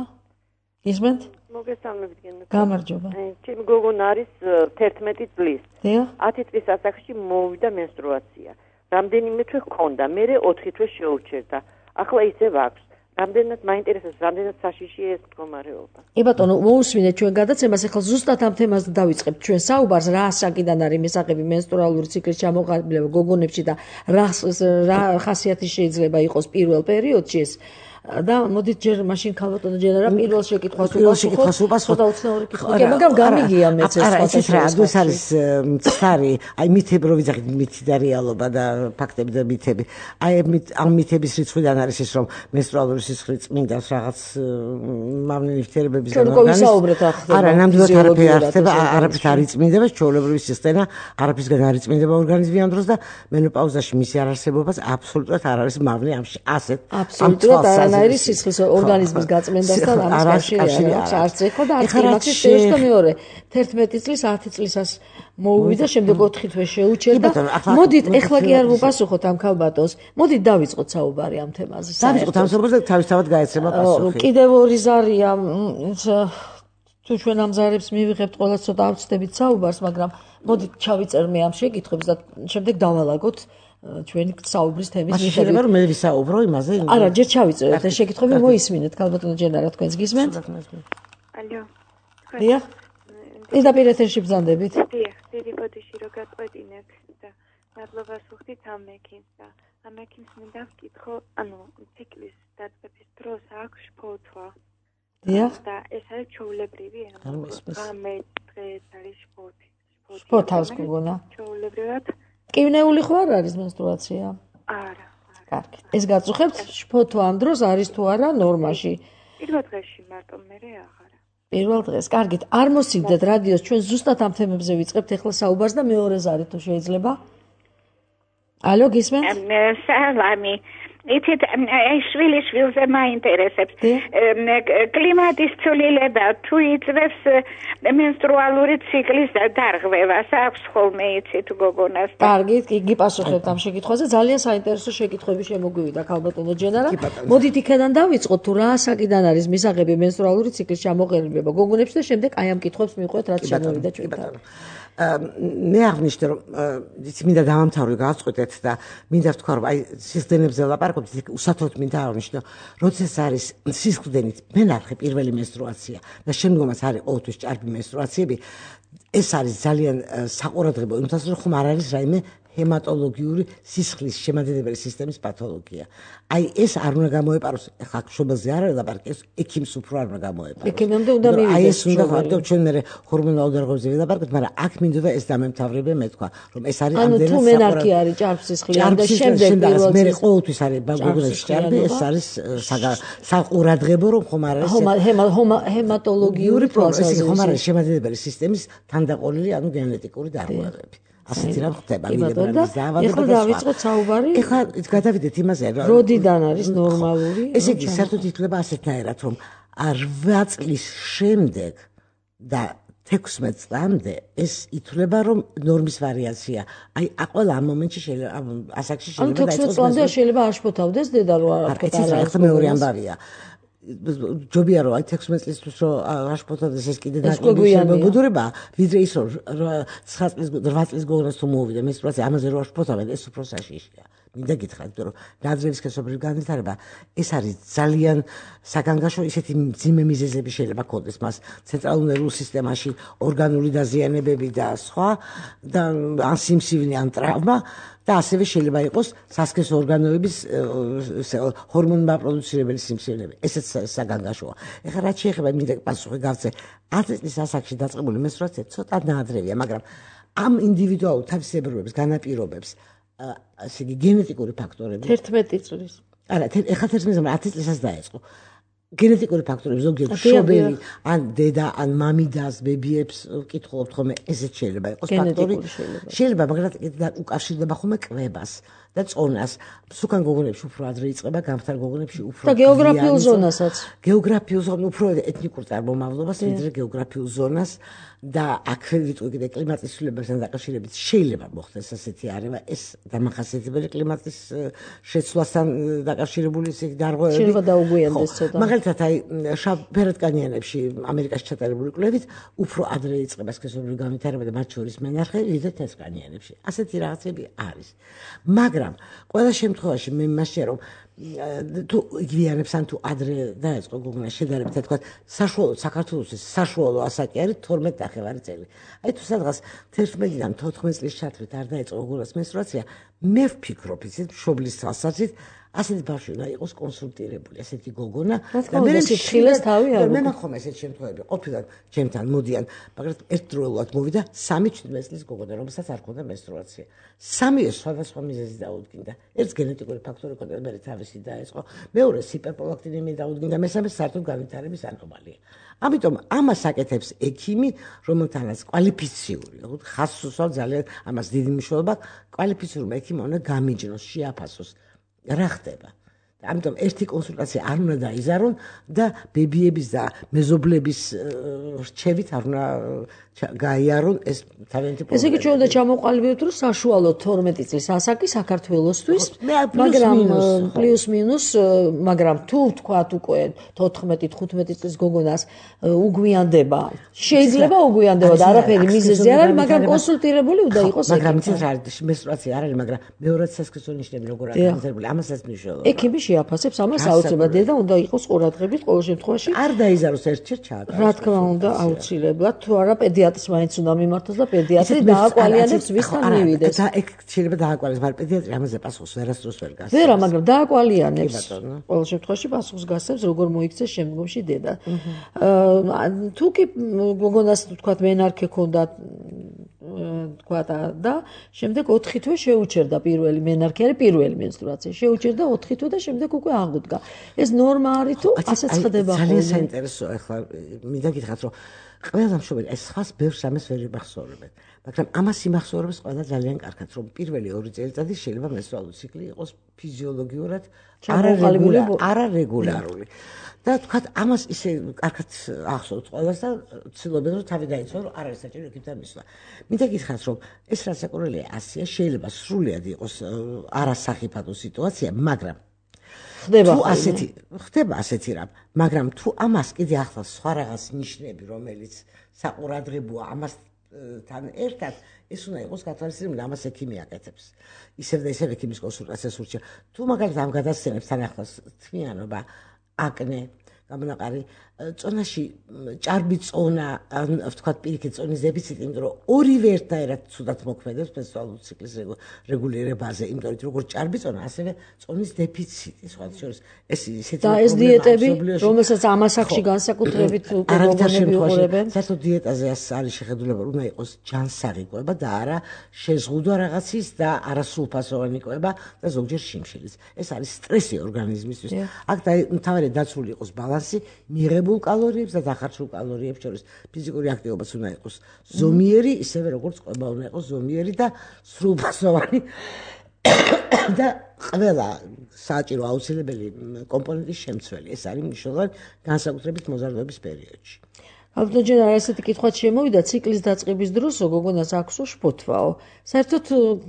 გისმენთ? მოგესალმებით გენო. გამარჯობა. ჩემი გოგონა არის 11 წლის. დიახ. 10 წლის ასაკში მოვიდა მენსტრუაცია. რამდენიმე თვე ჰქონდა, მერე 4 თვე შეურჩერდა. ახლა ისევ აქვს. რამდენად მაინტერესებს, რამდენად საშიშია ეს მდგომარეობა. ბატონო, მოусმინეთ ჩვენ გადაცემას, ახლა ზუსტად ამ თემას დავიწყებთ ჩვენ საუბარს, რა საკიდან არის მისაღები მენსტრუალური ციკლის ჩამოყალიბება გოგონებში და რა ხასიათი შეიძლება იყოს პირველ პერიოდში ეს. და მოდით ჯერ მაშინ ქალბატონო ჯენერა პირველ შეკითხვას უპასუხოთ. მაგრამ გამიგია მეც ეს სხვა ეს არის მცარი, აი მითები რო ვიძახით მითი და რეალობა და ფაქტები და მითები. აი ამ მითების რიცხვიდან არის ის რომ მენსტრუალური სისხლი წმინდას რაღაც მავნე ნივთიერებებისგან არა, ნამდვილად არაფერი არ ხდება, არაფერს არ იწმინდება, ჩვეულებრივი სისტემა არაფერსგან არ იწმინდება ორგანიზმი ამ დროს და მენოპაუზაში მისი არარსებობაც აბსოლუტურად არ არის მავნე ამში ასეთ აბსოლუტურად არის სისხლის ორგანიზმის გაწმენდასთან ამას კავშირი აქვს არც ეხო და არც იმათის პერიოდში და მეორე 11 წლის 10 წლისას მოუვიდა შემდეგ 4 თვე შეუჩერდა მოდით ეხლა კი არ ვუპასუხოთ ამ ქალბატონს მოდით დავიწყოთ საუბარი ამ თემაზე დავიწყოთ ამ საუბარს და თავისთავად გაეცემა პასუხი კიდევ ორი ზარია თუ ჩვენ ამ ზარებს მივიღებთ ყველა ცოტა ავწდებით საუბარს მაგრამ მოდით ჩავიწერ მე ამ შეკითხვებს და შემდეგ დავალაგოთ ჩვენი საუბრის თემის მიხედვით. შეიძლება რომ მე ვისაუბრო იმაზე? არა, ჯერ ჩავიწეროთ ეს შეკითხვები მოისმინეთ, ქალბატონო ჯენერა თქვენს გისმენთ? ალო. დიახ. პირდაპირ ეთერში ბრძანდებით. დიახ, დიდი ბოდიში რო გაწყვეტინებ და მადლობას ვუხდით ამ მექინს და ამ მექინს მინდა ვკითხო, ანუ ციკლის დაწყების დროს აქვს შფოთვა. დიახ. და ეს არის ჩვეულებრივი, ანუ რამე დღეს არის შფოთი. შფოთავს გოგონა. ჩვეულებრივად კივნეული ხო არ არის menstruatsiya? არა. კარგი. ეს გაწუხებთ შფოთვა ამ დროს არის თუ არა ნორმაში? პირველ დღეში მარტო მერე აღარა. პირველ დღეს. კარგით. არ მოსიგდეთ რადიოს ჩვენ ზუსტად ამ თემებზე ვიწყებთ ახლა საუბარს და მეორე ზარი თუ შეიძლება? ალო, გისმენთ? სალამი. იცით, შვილიშვილზე მაინტერესებს. კლიმატის ცვლილება თუ იწვევს მენსტრუალური ციკლის დარღვევას, აქვს ხოლმე იცით გოგონას. კარგი, გიპასუხებთ ამ შეკითხვაზე. ძალიან საინტერესო შეკითხვები შემოგვივიდა ქალბატონო ჯენერა. მოდით იქიდან დავიწყოთ თუ რა საკიდან არის მისაღები მენსტრუალური ციკლის ჩამოყალიბება გოგონებში და შემდეგ აი ამ კითხვებს მივყვეთ რაც შემოვიდა ჩვენთან. მე აღნიშნე რომ იცი მინდა დავამთავრე გავწყვეტეთ და მინდა ვთქვა რომ აი სისხლდენებზე ლაპარაკობთ უსათოდ მინდა აღნიშნო როცა არის სისხლდენით მე ნახე პირველი menstruatsiya და შემდგომაც არის ყოველთვის ჭარბი menstruatsiები ეს არის ძალიან საყურადღებო იმითაც რომ ხომ არ არის რაიმე ჰემატოლოგიური სისხლის შემადგენელი სისტემის პათოლოგია. აი ეს არ უნდა გამოეპაროს ხა შობელზე არ არის ლაპარაკი ეს ექიმს უფრო არ უნდა გამოეპაროს. ექიმამდე უნდა მივიდეს. აი ეს უნდა ხარდო ჩვენ მე ჰორმონულ დარღვევებზე ვილაპარაკეთ, მაგრამ აქ მინდოდა ეს დამემთავრებე მე თქვა, რომ ეს არის ამდენად თუ მენარქი არის ჭარბ სისხლი და შემდეგ პირველ მე ყოველთვის არის გოგონებში ჭარბი, ეს არის საყურადღებო რომ ხომ არ არის ჰემატოლოგიური პროცესი, ხომ არ არის შემადგენელი სისტემის თანდაყოლილი, ანუ გენეტიკური დარღვევები. ასეთი რამ ხდება მიგებრალის დაავადება. ეხლა დავიწყოთ საუბარი. ეხლა გადავიდეთ იმაზე, რომ როდიდან არის ნორმალური? ესე იგი, საერთოდ ითვლება ასეთნაირად, რომ 8 წლის შემდეგ და 16 წლამდე ეს ითვლება, რომ ნორმის ვარიაცია. აი, ყველა ამ მომენტში შეიძლება, ასაკში შეიძლება დაიწყოს. ანუ 16 წლამდე შეიძლება არ შფოთავდეს დედა რო არ ფოთავდა. ახლა მეორე ამბავია. ჯობია რომ აი 16 წლისთვის რომ აშფოთდეს ეს კიდე ნაკლები შემოგუდურება ვიდრე ის რომ 9 წლის 8 წლის გოგონას თუ მოუვიდა menstruatsiya ამაზე რომ აშფოთავენ ეს უფრო საშიშია მინდა გითხრათ რომ ნაძრევის სქესობრივი განვითარება ეს არის ძალიან საგანგაშო ისეთი მძიმე მიზეზები შეიძლება ქონდეს მას ცენტრალურ ნერვულ სისტემაში ორგანული დაზიანებები და სხვა და ან სიმსივნე ან ტრავმა და ასევე შეიძლება იყოს სასქესო ორგანოების ჰორმონმა პროდუცირებელი სიმსივნეები. ესეც საგანგაშოა. ეხლა რაც შეეხება მინდა პასუხი გავცე 10 წლის ასაკში დაწყებული menstruatsiya ცოტა ნაადრევია, მაგრამ ამ ინდივიდუალურ თავისებურებებს განაპირობებს ასე იგი გენეტიკური ფაქტორები 11 წლის. არა, ეხლა 11 წლის 10 წლისას დაეწყო. გენეტიკური ფაქტორები ზოგიერთ შობელი ან დედა ან მამიდას ბებიებს ვკითხულობთ ხოლმე ესეც შეიძლება იყოს ფაქტორი შეიძლება მაგრამ უკავშირდება ხოლმე კვებას და წონას სუკან გოგონებში უფრო ადრე იწყება გამხდარ გოგონებში უფრო და გეოგრაფიულ ზონასაც გეოგრაფიულ ზონას უფრო ეთნიკურ წარმომავლობას ვიდრე გეოგრაფიულ ზონას და აქვე ვიტყვი კიდე კლიმატის ცვლილებებთან დაკავშირებით შეიძლება მოხდეს ასეთი არევა ეს დამახასიათებელი კლიმატის შეცვლასთან დაკავშირებული ისეთი დარღვევები შეიძლება დაუგვიანდეს ცოტა მაგალითად აი შავ ფერადკანიანებში ამერიკაში ჩატარებული კვლევით უფრო ადრე იწყება სქესობრივი განვითარება და მათ შორის მენარხე ვიდრე თეთრკანიანებში ასეთი რაღაცები არის მაგრამ მაგრამ ყველა შემთხვევაში მე მასე რომ თუ იგივიანებს ან თუ ადრე დაეწყო გოგონა შედარებით თქვა საშუალო საქართველოს საშუალო ასაკი არის 12 ნახევარი წელი. აი თუ სადღაც 11-დან 14 წლის ჩათვლით არ დაეწყო გოგონას მენსტრუაცია, მე ვფიქრობ ისეთ მშობლის თვალსაზრისით ასეთი ბავშვი უნდა იყოს კონსულტირებული, ასეთი გოგონა და მე სიფხილეს თავი არ მე მახომ ესეთ შემთხვევები ყოფილან ჩემთან მოდიან, მაგრამ ერთდროულად მოვიდა 3-17 წლის გოგონა, რომელსაც არ ჰქონდა მენსტრუაცია. სამივე სხვადასხვა მიზეზი დაუდგინდა. ერთს გენეტიკური ფაქტორი ჰქონდა, მე თავისი დაეწყო, მეორეს ჰიპერპროლაქტინემია დაუდგინდა, მესამეს საერთოდ განვითარების ანომალია. ამიტომ ამას აკეთებს ექიმი, რომელთანაც კვალიფიციური, ხაზს უსვამს ძალიან ამას დიდი მნიშვნელობა, კვალიფიციური ექიმი უნდა გამიჯნოს, შეაფასოს რა ხდება. ამიტომ ერთი კონსულტაცია არ უნდა დაიზარონ და ბებიების და მეზობლების რჩევით არ უნდა გაიარონ ეს თავიანთი პრობლემა. ესე იგი ჩვენ უნდა ჩამოყალიბებთ, რომ საშუალო 12 წლის ასაკი საქართველოსთვის, მაგრამ პლუს მინუს, მაგრამ თუ ვთქვათ უკვე 14-15 წლის გოგონას უგვიანდება, შეიძლება უგვიანდება და არაფერი მიზეზი არ არის, მაგრამ კონსულტირებული უნდა იყოს ექიმი. მაგრამ ის არის მენსტრუაცია არ არის, მაგრამ მეორად სასქესო ნიშნები როგორ არის განვითარებული, ამასაც მნიშვნელობა. ექიმი შეაფასებს ამას აუცილებლად და უნდა იყოს ყურადღებით ყოველ შემთხვევაში. არ დაიზაროს ერთ-ერთ ჩაატაროს. რა თქმა უნდა, აუცილებლად, თუ არა პედიატრს მაინც უნდა მიმართოს და პედიატრი დააკვალიანებს ვისთან მივიდეს. და ეგ შეიძლება დააკვალიანოს, მაგრამ პედიატრი ამაზე პასუხს ვერასდროს ვერ გასცემს. ვერა, მაგრამ დააკვალიანებს. ყოველ შემთხვევაში პასუხს გასცემს, როგორ მოიქცეს შემდგომში დედა. თუ კი გოგონას თქვათ მენარქე ქონდა თქვათ და შემდეგ 4 თვე შეუჩერდა პირველი მენარქე არის პირველი მენსტრუაცია. შეუჩერდა 4 თვე და შემდეგ უკვე აღუდგა. ეს ნორმა არის თუ ასეც ხდება ხოლმე? ძალიან საინტერესოა, ახლა მინდა გითხრათ, რომ ყველა მშობელი ეს ხას ბევრს ამას ვერ იმახსოვრებენ, მაგრამ ამას იმახსოვრებს ყველა ძალიან კარგად, რომ პირველი 2 წელიწადი შეიძლება მენსტრუალური ციკლი იყოს ფიზიოლოგიურად არარეგულარული. და თქვათ ამას ისე კარგად ახსოვთ ყველას და ცდილობენ რომ თავი დაიცვან რომ არ არის საჭირო ექიმთან მისვლა. მინდა გითხრათ რომ ეს რაც საკურველია 100-ია, შეიძლება სრულიად იყოს არასახიფათო სიტუაცია, მაგრამ ხდება ასეთი რამ, მაგრამ თუ ამას კიდე ახლა სხვა რაღაც ნიშნები, რომელიც საყურადღებოა ამასთან ერთად, ეს უნდა იყოს გათვალისწინებული, ამას ექიმი აკეთებს. ისევ და ისევ ექიმის კონსულტაციას ურჩევ. თუ მაგალითად ამ გადასცემებს თან ახლოს თმიანობა, აკნე, გამონაყარი, წონაში ჭარბი წონა, ვთქვათ პირიქით წონის დეფიციტი, იმიტომ რომ ორივე ერთნაირად ცუდად მოქმედებს მენსტრუალური ციკლის რეგულირებაზე, იმიტომ რომ როგორც ჭარბი წონა, ასევე წონის დეფიციტი, სხვა შორის ეს ისეთი და ეს დიეტები, რომელსაც ამ ასაკში განსაკუთრებით გოგონები უყურებენ, საერთოდ დიეტაზე არის შეხედულება, უნდა იყოს ჯანსაღი კვება და არა შეზღუდვა რაღაცის და არა სულფასოვანი კვება და ზოგჯერ შიმშილის. ეს არის სტრესი ორგანიზმისთვის. აქ მთავარი დაცული იყოს ბალანსი მიღებულ კალორიებს და დახარჯულ კალორიებს შორის. ფიზიკური აქტივობაც უნდა იყოს ზომიერი, ისევე როგორც კვება უნდა იყოს ზომიერი და სრულფასოვანი და ყველა საჭირო აუცილებელი კომპონენტის შემცველი. ეს არის მნიშვნელოვანი განსაკუთრებით მოზარდობის პერიოდში. ალბათ ჯერ ასეთი კითხვაც შემოვიდა ციკლის დაწყების დროს გოგონას აქვსო შფოთვაო. საერთოდ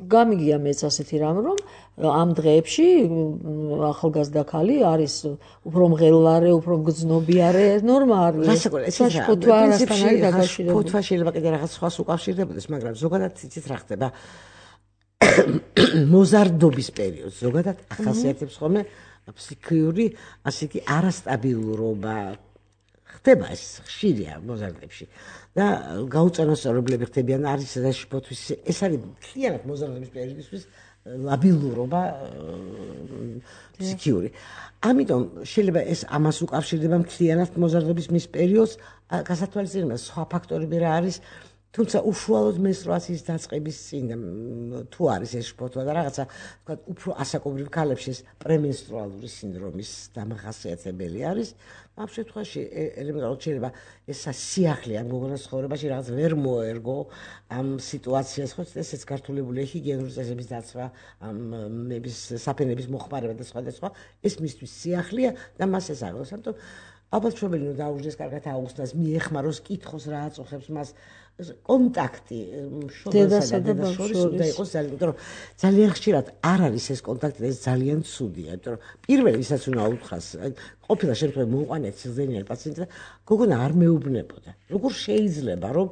გამიგია მეც ასეთი რამ, რომ ამ დღეებში ახალგაზრდა ქალი არის უფრო მღელვარე, უფრო მგრძნობიარე, ნორმა არის. შფოთვა არასთან არის დაკავშირებული. შფოთვა შეიძლება კიდე რაღაც სხვას უკავშირდებოდეს, მაგრამ ზოგადად იცით რა ხდება? მოზარდობის პერიოდს ზოგადად ახასიათებს ხოლმე ფსიქიური, ასე კი არასტაბილურობა. ხდება ეს ხშირია მოზარდებში და გაუწონასწორებლები ხდებიან არის და შფოთვის ეს არის მთლიანად მოზარდობის პერიოდისთვის ლაბილურობა ფსიქიური. ამიტომ შეიძლება ეს ამას უკავშირდება მთლიანად მოზარდობის მის პერიოდს, გასათვალისწინებელია სხვა ფაქტორები რა არის, თუმცა უშუალოდ მენსტრუაციის დაწყების წინ თუ არის ეს შფოთვა და რაღაცა თქვათ უფრო ასაკობრივ ქალებში ეს პრემენსტრუალური სინდრომის დამახასიათებელი არის. ამ შემთხვევაში ელემენტარულად შეიძლება ეს სიახლე ამ გოგონას ცხოვრებაში რაღაც ვერ მოერგო ამ სიტუაციას, ხო ესეც გართულებული ჰიგიენური წესების დაცვა, ამ საფენების მოხმარება და სხვა და სხვა, ეს მისთვის სიახლეა და მას ეს აღოს. ამიტომ ალბათ მშობელი უნდა დაუჯდეს კარგად აუხსნას, მიეხმაროს, კითხოს რა აწუხებს მას კონტაქტი მშობელსა და დედას შორის უნდა იყოს ძალიან, იმიტომ რომ ძალიან ხშირად არ არის ეს კონტაქტი და ეს ძალიან ცუდია, იმიტომ რომ პირველი ვისაც უნდა აუთხას, ყოფილა შემთხვევაში მოუყანეთ სიზდენიანი პაციენტი და გოგონა არ მეუბნებოდა. როგორ შეიძლება რომ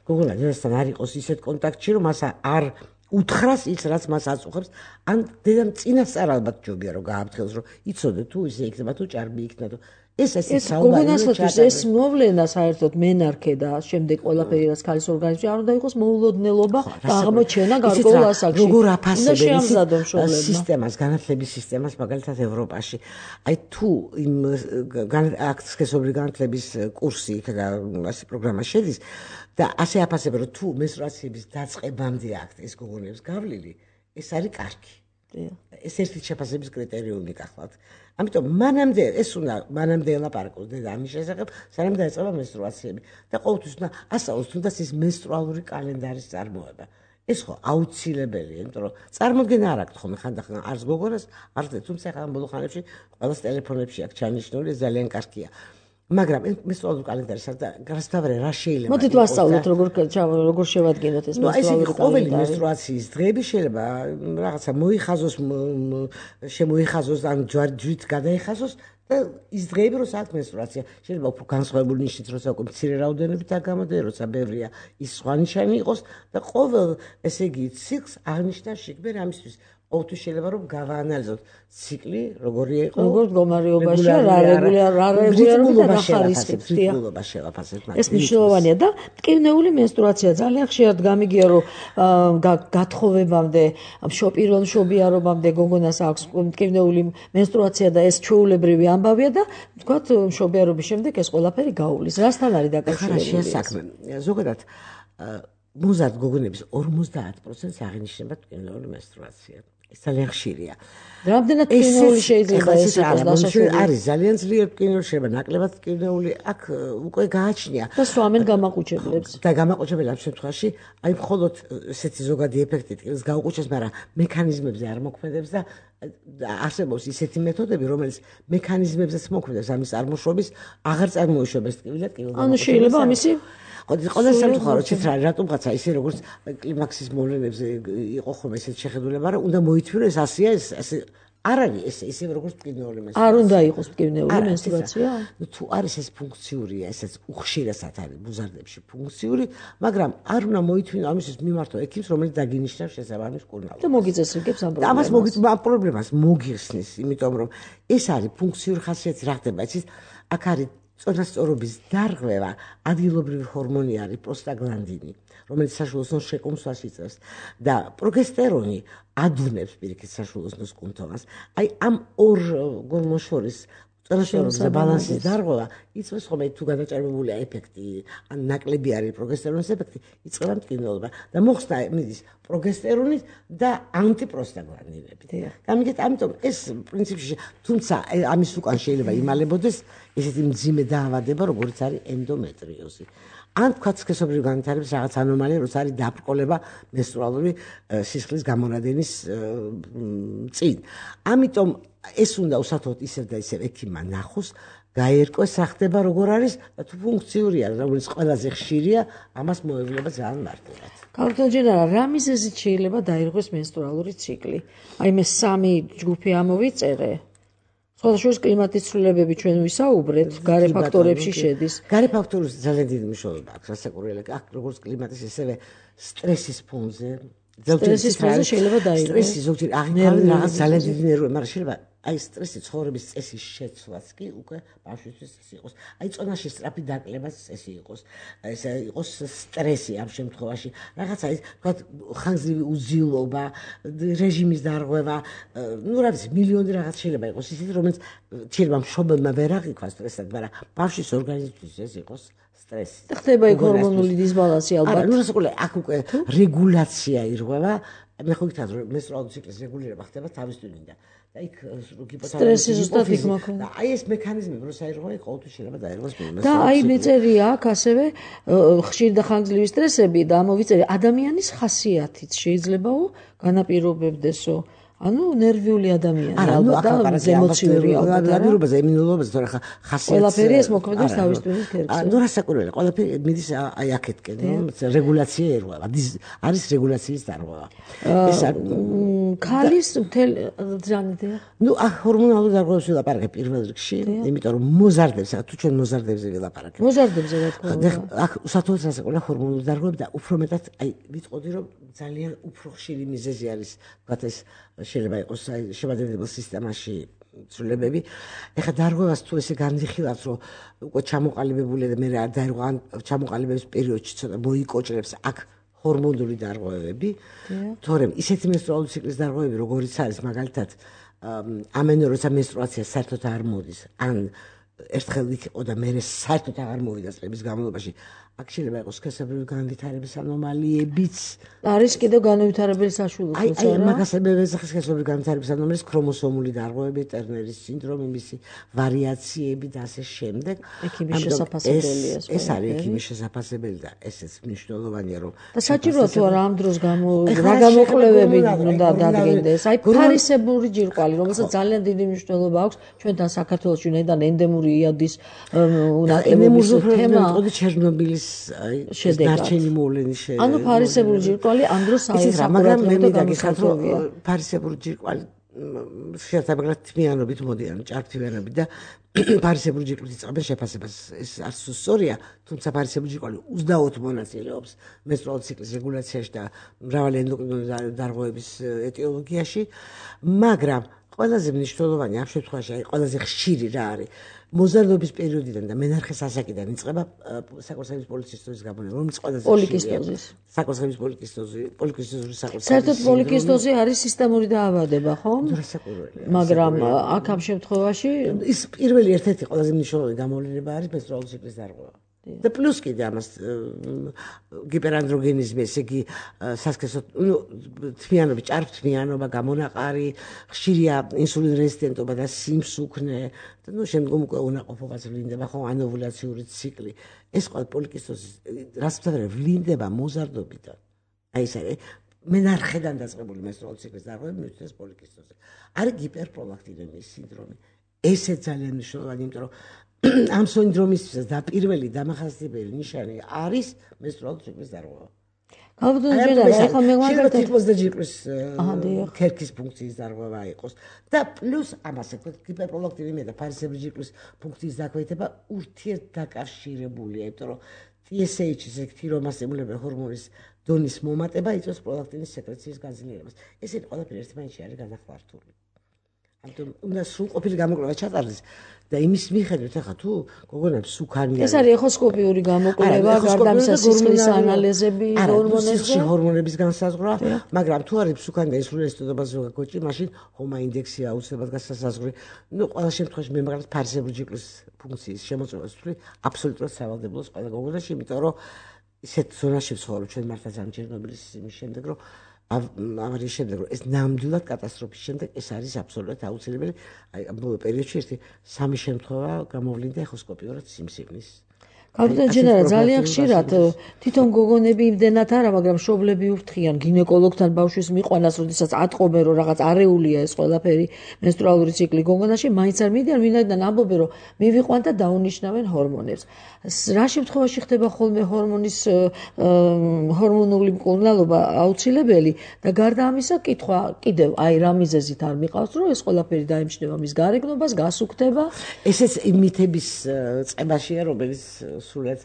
გოგონა დედასთან არ იყოს ისეთ კონტაქტში, რომ მას არ უთხრას ის რაც მას აწუხებს ან დედამ წინასწარ ალბათ ჯობია რომ გააფრთხილოს რომ იცოდე თუ ისე იქნება თუ ჭარბი იქნება თუ ეს გოგონასთვის ეს მოვლენა საერთოდ მენარქე და შემდეგ ყველაფერი რაც ქალის ორგანიზმში არ უნდა იყოს მოულოდნელობა და აღმოჩენა გარკვეულ ასაკში. როგორ აფასებენ სისტემას, განათლების სისტემას მაგალითად ევროპაში. აი თუ იმ სქესობრივი განათლების კურსი ასე პროგრამა შედის და ასე აფასებენ რომ თუ მენსტრუაციების დაწყებამდე აქვთ ეს გოგონების გავლილი, ეს არის კარგი. ეს ერთი შეფასების კრიტერიუმი გახლავთ. ამიტომ მანამდე ელაპარაკოს დედა ამის შესახებ, სანამ დაეწყება მენსტრუაციები და ყოველთვის უნდა ასწავლოს თუნდაც ის მენსტრუალური კალენდარის წარმოება. ეს ხო აუცილებელია, იმიტომ რომ წარმოდგენა არ აქვს ხოლმე ხანდახან არც გოგონას, არც თუმცა ახლა ბოლო ხანებში ყველას ტელეფონებში აქვს ჩანიშნული, ძალიან კარგია. მაგრამ მენსტრუალური კალენდარი გასთავრე რა შეიძლება მოდით ვასწავლოთ როგორ შევადგენოთ ეს მენსტრუალური კალენდარი. ყოველი მენსტრუაციის დღეები შეიძლება რაღაცა მოიხაზოს, შემოიხაზოს ან ჯვარით გადაიხაზოს და ის დღეები როცა მენსტრუაცია შეიძლება უფრო განსხვავებული ნიშნით როცა უკვე მცირე რაოდენობით გამოდე, როცა ბევრია ის სხვა ნიშანი იყოს და ყოველ ესე იგი ციკლს აღნიშნა შეგბერ ამისთვის ყოველთვის შეიძლება რომ გავაანალიზოთ ციკლი როგორია იყო როგორ მდგომარეობაში რა რეგულარობით და ხარისხით შევაფასებთ ეს მნიშვნელოვანია და მტკივნეული მენსტრუაცია ძალიან ხშირად გამიგია რომ გათხოვებამდე პირველ მშობიარობამდე გოგონას აქვს მტკივნეული მენსტრუაცია და ეს ჩვეულებრივი ამბავია და ვთქვათ მშობიარობის შემდეგ ეს ყველაფერი გაუვლის რასთან არის დაკავშირებული საქმე ზოგადად მოზარდ გოგონების 50%-ს აღინიშნება მტკივნეული მენსტრუაცია. ეს ძალიან ხშირია. რამდენად მტკივნეული შეიძლება ეს იყოს დასაშვები? არის ძალიან ძლიერ მტკივნეული, შეიძლება ნაკლებად მტკივნეული, აქ უკვე გააჩნია. და სვამენ გამაყუჩებლებს. და გამაყუჩებელი ამ შემთხვევაში, აი მხოლოდ ესეთი ზოგადი ეფექტი ტკივილს გაუყუჩებს, მაგრამ მექანიზმებზე არ მოქმედებს და არსებობს ისეთი მეთოდები, რომელიც მექანიზმებზეც მოქმედებს ამის წარმოშობის, აღარ წარმოიშვებს ტკივილად ტკივილს. ანუ შეიძლება ამისი ყველა სამწუხარო ციფრა რატომღაცა ისე როგორც კლიმაქსის მოვლენებზე იყო ხომ ესეთ შეხედულება, მაგრამ უნდა მოითვირო ეს ასია ეს არ არის ესე როგორც მტკივნეული მენსტრუაცია. არ უნდა იყოს მტკივნეული მენსტრუაცია? თუ არის ეს ფუნქციურია, ესეც უხშირესად არის მოზარდებში ფუნქციური, მაგრამ არ უნდა მოითვინო ამისთვის მიმართო ექიმს, რომელიც დაგინიშნავს შესაბამის კურნალობას. და მოგიწესრიგებს ამ პრობლემას მოგიხსნის, იმიტომ რომ ეს არის ფუნქციური ხასიათი რა ხდება, იცით, აქ არის წონასწორობის დარღვევა ადგილობრივი ჰორმონი არის პროსტაგლანდინი, რომელიც საშუალოსნოს შეკუმშვას იწევს და პროგესტერონი ადუნებს პირიქით საშუალოსნოს კუნთოვას. აი ამ ორ გორმონს შორის წონასწორობის და ბალანსის დარღვევა იწვევს ხოლმე თუ გადაჭარბებულია ეფექტი, ან ნაკლები არის პროგესტერონის ეფექტი, იწყება მტკივნეულობა და მოხსნა მიდის პროგესტერონით და ანტიპროსტაგლანდინებით. გამიგეთ, ამიტომ ეს პრინციპში თუმცა ამის უკან შეიძლება იმალებოდეს ესეთი მძიმე დაავადება, როგორც არის ენდომეტრიოზი. ან თქვა სქესობრივი განვითარების რაღაც ანომალია, როცა არის დაბრკოლება მენსტრუალური სისხლის გამონადენის წინ. ამიტომ ეს უნდა უსათოდ ისევ და ისევ ექიმმა ნახოს, გაერკვეს რა ხდება, როგორ არის და თუ ფუნქციურია, რომელიც ყველაზე ხშირია, ამას მოევლება ძალიან მარტივად. ქალბატონ ჯენარა, რა მიზეზით შეიძლება დაირღვეს მენსტრუალური ციკლი? აი მე სამი ჯგუფი ამოვიწერე. სხვადასხვა კლიმატის ცვლილებები ჩვენ ვისაუბრეთ, გარე ფაქტორებში შედის. გარე ფაქტორებს ძალიან დიდი მნიშვნელობა აქვს, რასაკვირველია, აქ როგორც კლიმატის, ესევე სტრესის ფონზე. სტრესის ფონზე შეიძლება დაირღვეს. სტრესი ზოგჯერ აღიქვამენ რაღაც ძალიან დიდი ნერვები, მაგრამ შეიძლება აი სტრესი ცხოვრების წესის შეცვლაც კი უკვე ბავშვისთვის ეს იყოს. აი წონაში სწრაფი დაკლებაც წესი იყოს. ესე იყოს სტრესი ამ შემთხვევაში. რაღაცა ის თქვა ხანგრძლივი უძილობა, რეჟიმის დარღვევა, ну რა ვიცი, მილიონი რაღაც შეიძლება იყოს ისეთი, რომელიც შეიძლება მშობელმა ვერ აღიქვას სტრესად, მაგრამ ბავშვის ორგანიზმისთვის ეს იყოს სტრესი. ხდება იქ ჰორმონული დისბალანსი ალბათ. არა, ну რასაკვირველია, აქ უკვე რეგულაცია ირღვევა. მე ხო გითხრათ რომ მენსტრუალური ციკლის რეგულირება ხდება თავის ტვინიდან. და იქ სტრესი ზუსტად იქ მოქმედებს. აი ეს მექანიზმები როცა ირღვევა, ყოველთვის შეიძლება დაირღვეს მენსტრუაცია. და აი მეწერია აქ ასევე ხშირი და ხანგრძლივი სტრესები და ამოვიწერე ადამიანის ხასიათიც შეიძლებაო განაპირობებდესო. ანუ ნერვიული ადამიანი ალბათ და ემოციური ალბათ. ნერვიულობაზე, ემუნულობაზე, თორე ხასიათს ყველაფერი ეს მოქმედებს თავის ტვინის ქერქზე. ну რასაკვირველია, ყველაფერი მიდის აი აქეთკენ, რეგულაცია ერღვევა. არის რეგულაციის დარღვევა. ეს ქალის მთელ ძანიდია. ნუ ჰორმონალურ დარღვევებს ვილაპარაკებ პირველ რიგში, იმიტომ რომ მოზარდებს, თუ ჩვენ მოზარდებზე ვილაპარაკებ. მოზარდებზე რა თქმა უნდა. აქ უსათხოვს ასაკულა ჰორმონული დარღვევები და უფრო მეტად აი ვიტყოდი რომ ძალიან უფრო ხშირი მიზეზი არის, ვთქვათ ეს შეიძლება იყოს აი შემადგენლობითი სისტემაში ცვლილებები. ეხლა დარღვევას თუ ესე განვიხილავთ, რომ უკვე ჩამოყალიბებულია და მე რა დაერღვა ჩამოყალიბების პერიოდში ცოტა მოიკოჭრებს აქ ჰორმონული დარღვევები, თორემ ისეთი მენსტრუალური ციკლის დარღვევები, როგორიც არის მაგალითად ამენო როცა მენსტრუაცია საერთოდ არ მოდის, ან ერთხელ იყო და მე საერთოდ აღარ მოვიდა წლების განმავლობაში, აქ შეიძლება იყოს სქესობრივი განვითარების ანომალიებიც. არის კიდევ განვითარებელი საშუალებიც, აი მაგას მე ვეძახის სქესობრივი განვითარების ანომალიის ქრომოსომული დარღვევები, ტერნერის სინდრომი, მისი ვარიაციები და ასე შემდეგ. ექიმის შესაძლებელია. ეს არის ექიმის შესაძლებელი და ესეც მნიშვნელოვანია რომ და საჭიროა თუ არა ამ დროს რა გამოკვლევები უნდა დადგენდეს. აი ფარისებური ჯირკვალი, რომელსაც ძალიან დიდი მნიშვნელობა აქვს ჩვენთან საქართველოში, ვინაიდან ენდემური იადის უნაკლებობის თემა. ჩერნობილის დარჩენი მოვლენის ანუ ფარისებური ჯირკვალი ამ დროს მაგრამ მე მიგაგიხსნათ რომ ფარისებური ჯირკვალი შეერთებულად თმიანობით მოდიან ჭარბთმიანობით და ფარისებური ჯირკვლის იწყებენ შეფასებას ეს არც სწორია თუმცა ფარისებური ჯირკვალი 24 მონაწილეობს მენსტრუალური ციკლის რეგულაციაში და მრავალი ენდოკრინული დარღვევების ეტიოლოგიაში მაგრამ ყველაზე მნიშვნელოვანი ამ შემთხვევაში აი ყველაზე ხშირი რა არის მოზარდობის პერიოდიდან და მენარხეს ასაკიდან იწყება საკურთხევლის პოლიკისტოზის გაბონება, რომელიც ყველაზე პოლიკისტოზის. საკურთხევლის პოლიკისტოზური საკურთხევლის. საერთოდ პოლიკისტოზი არის სისტემური დაავადება, ხო? დასაკურველია. მაგრამ აქ ამ შემთხვევაში ის პირველი ერთ-ერთი ყველაზე მნიშვნელოვანი გამოვლენა არის მენსტრუალური ციკლის დარღვევა. და პლუს კიდე ამას გიპერანდროგენიზმი, ესე იგი სასქესო თმიანობა, ჭარბთმიანობა, გამონაყარი, ხშირია ინსულინ რეზისტენტობა და სიმსუქნე და შემდგომ უკვე უნაყოფობაც ვლინდება, ხო, ანოვულაციური ციკლი. ეს ყველა პოლიკისტოზის რას ვთქვათ, ვლინდება მოზარდობიდან. აი ეს არის მენარხედან დაწყებული მენსტრუალური ციკლის დარღვევები მივიდეს პოლიკისტოზზე. არის გიპერპროლაქტინემიის სინდრომი. ესეც ძალიან მნიშვნელოვანია, იმიტომ რომ ამ სინდრომისთვის და პირველი დამახასიათებელი ნიშანი არის მენსტრუალური ციკლის დარღვევა. ეხლა მე მაგალითად იყოს და ჯირკვლის ქერქის ფუნქციის დარღვევა იყოს და პლუს ამას ეკოთ გიპერპროლაქტინემია და ფარისებრი ჯირკვლის ფუნქციის დაქვეითება ურთიერთდაკავშირებულია, იმიტომ რომ TSH ესე თირომასტიმულებელი ჰორმონის დონის მომატება იწვევს პროლაქტინის სეკრეციის გაძლიერებას. ესენი ყველაფერი ერთმანეთში არის განახვართული. ამიტომ უნდა სრულყოფილი გამოკვლევა ჩატარდეს და იმის მიხედვით ახლა თუ გოგონებს სუქანია ეს არის ეხოსკოპიური გამოკვლევა, გარდამისა სისხლის ანალიზები, ჰორმონებზე ჰორმონების განსაზღვრა, მაგრამ თუ არის სუქანი და ინსულინის დოზა გაგოჭი, მაშინ ჰომა ინდექსი აუცილებლად განსაზღვრი. ნუ ყველა შემთხვევაში მე მაგალითად ფარისებრი ჯირკვლის ფუნქციის შემოწმებას ვთვლი აბსოლუტურად სავალდებულოს ყველა გოგონაში, იმიტომ რომ ისეთ ზონაში ვცხოვრობ ჩვენ მართლაც ამ ჩერნობილის იმის შემდეგ რომ ავარიის შემდეგ რომ ეს ნამდვილად კატასტროფის შემდეგ ეს არის აბსოლუტურად აუცილებელი. აი ამ ბოლო პერიოდში ერთი სამი შემთხვევა გამოვლინდა ეხოსკოპიურად სიმსივნის. კაპიტან ჯენერალ, ძალიან ხშირად თვითონ გოგონები იმდენად არა, მაგრამ მშობლები ufრთხიან გინეკოლოგთან ბავშვის მიყვანას, როდესაც ატყობენ, რომ რაღაც არეულია ეს ყველაფერი მენსტრუალური ციკლი გოგონაში, მაინც არ მიდიან, ვინაიდან ამბობენ, რომ მივიყვან და დაუნიშნავენ ჰორმონებს. რა შემთხვევაში ხდება ხოლმე ჰორმონული მკურნალობა აუცილებელი და გარდა ამისა კითხვა კიდევ აი რა მიზეზით არ მიყავს, რომ ეს ყველაფერი დაემჩნევა მის გარეგნობას, გასუქდება. ესეც იმითების წებაშია, რომელიც სულად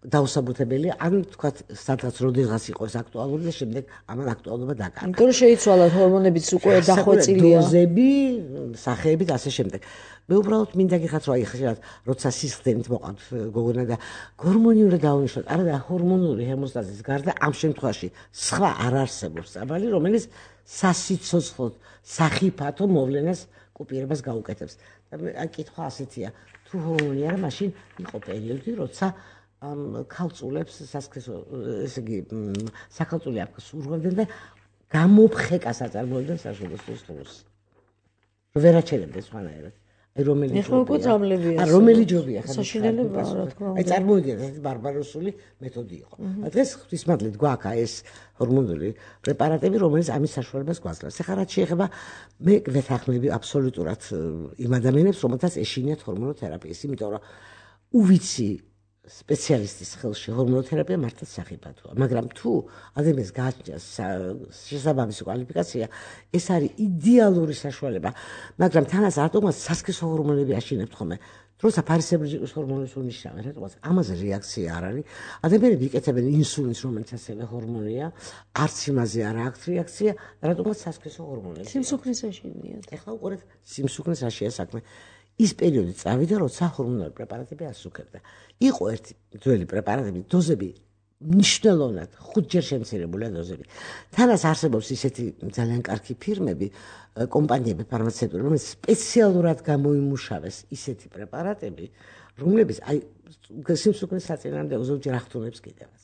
დაუსაბუთებელი, ან თქვათ, სადღაც როდესაც იყოს აქტუალური და შემდეგ ამან აქტუალობა დაკარგა. იმიტომ რომ შეიცვალა ჰორმონებიც უკვე დახვეწილია. დოზები, სახეები და ასე შემდეგ. მე უბრალოდ მინდა გიხართ, რომ აი ხშირად როცა სისხლდენით მოყავთ გოგონა და ჰორმონიული დაუნიშნოთ, არა და ჰორმონული ჰემოსტაზის გარდა ამ შემთხვევაში სხვა არ არსებობს წაბალი, რომელიც სასიცოცხლოდ სახიფათო მოვლენას კუპირებას გაუკეთებს. და აი კითხვა ასეთია, თუ ჰორმონი არა, მაშინ იყო პერიოდი, როცა ქალწულებს სასქესო, ესე იგი, საქალწულე აფქს ურღვევდნენ და გამოფხეკას აწარმოებდნენ საშუალო სისხლს. ვერაჩერებდნენ სხვანაირად. აი რომელი ჯობია? რომელი ჯობია? საშინელება, რა თქმა უნდა. აი წარმოვიდგინეთ, ეს ბარბაროსული მეთოდი იყო. დღეს ღვთისმადლით გვაქვს ეს ჰორმონული პრეპარატები, რომელიც ამის საშუალებას გვაძლევს. ეხლა რაც შეეხება მე ვეთანხმები აბსოლუტურად იმ ადამიანებს, რომელთაც ეშინიათ ჰორმონოთერაპიის, იმიტომ რომ უვიცი სპეციალისტის ხელში ჰორმონოთერაპია მართლაც სახიფათოა, მაგრამ თუ ადამიანს გააჩნიათ შესაბამისი კვალიფიკაცია, ეს არის იდეალური საშუალება, მაგრამ თანაც რატომაც სასქესო ჰორმონები აშენებთ ხოლმე, როცა ფარისებრიჯიკის ჰორმონებს უნიშნავენ, რატომაც ამაზე რეაქცია არ არის, ადამიანები იკეთებენ ინსულინს, რომელიც ასევე ჰორმონია, არც იმაზე არ აქვს რეაქცია, რატომაც სასქესო ჰორმონები. სიმსუქნის აშენიათ. ეხლა უყურეთ, სიმსუქნის აშია საქმე. ის პერიოდი წავიდა, როცა ჰორმონული პრეპარატები ასუქებდა. იყო ერთი ძველი პრეპარატები, დოზები მნიშვნელოვნად 5 ჯერ შემცირებულია დოზები. თანაც არსებობს ისეთი ძალიან კარგი ფირმები, კომპანიები ფარმაცევტული, რომელიც სპეციალურად გამოიმუშავეს ისეთი პრეპარატები, რომლებიც აი სიმსუქნის საწინააღმდეგო ზოგჯერ ახდენებს კიდევაც.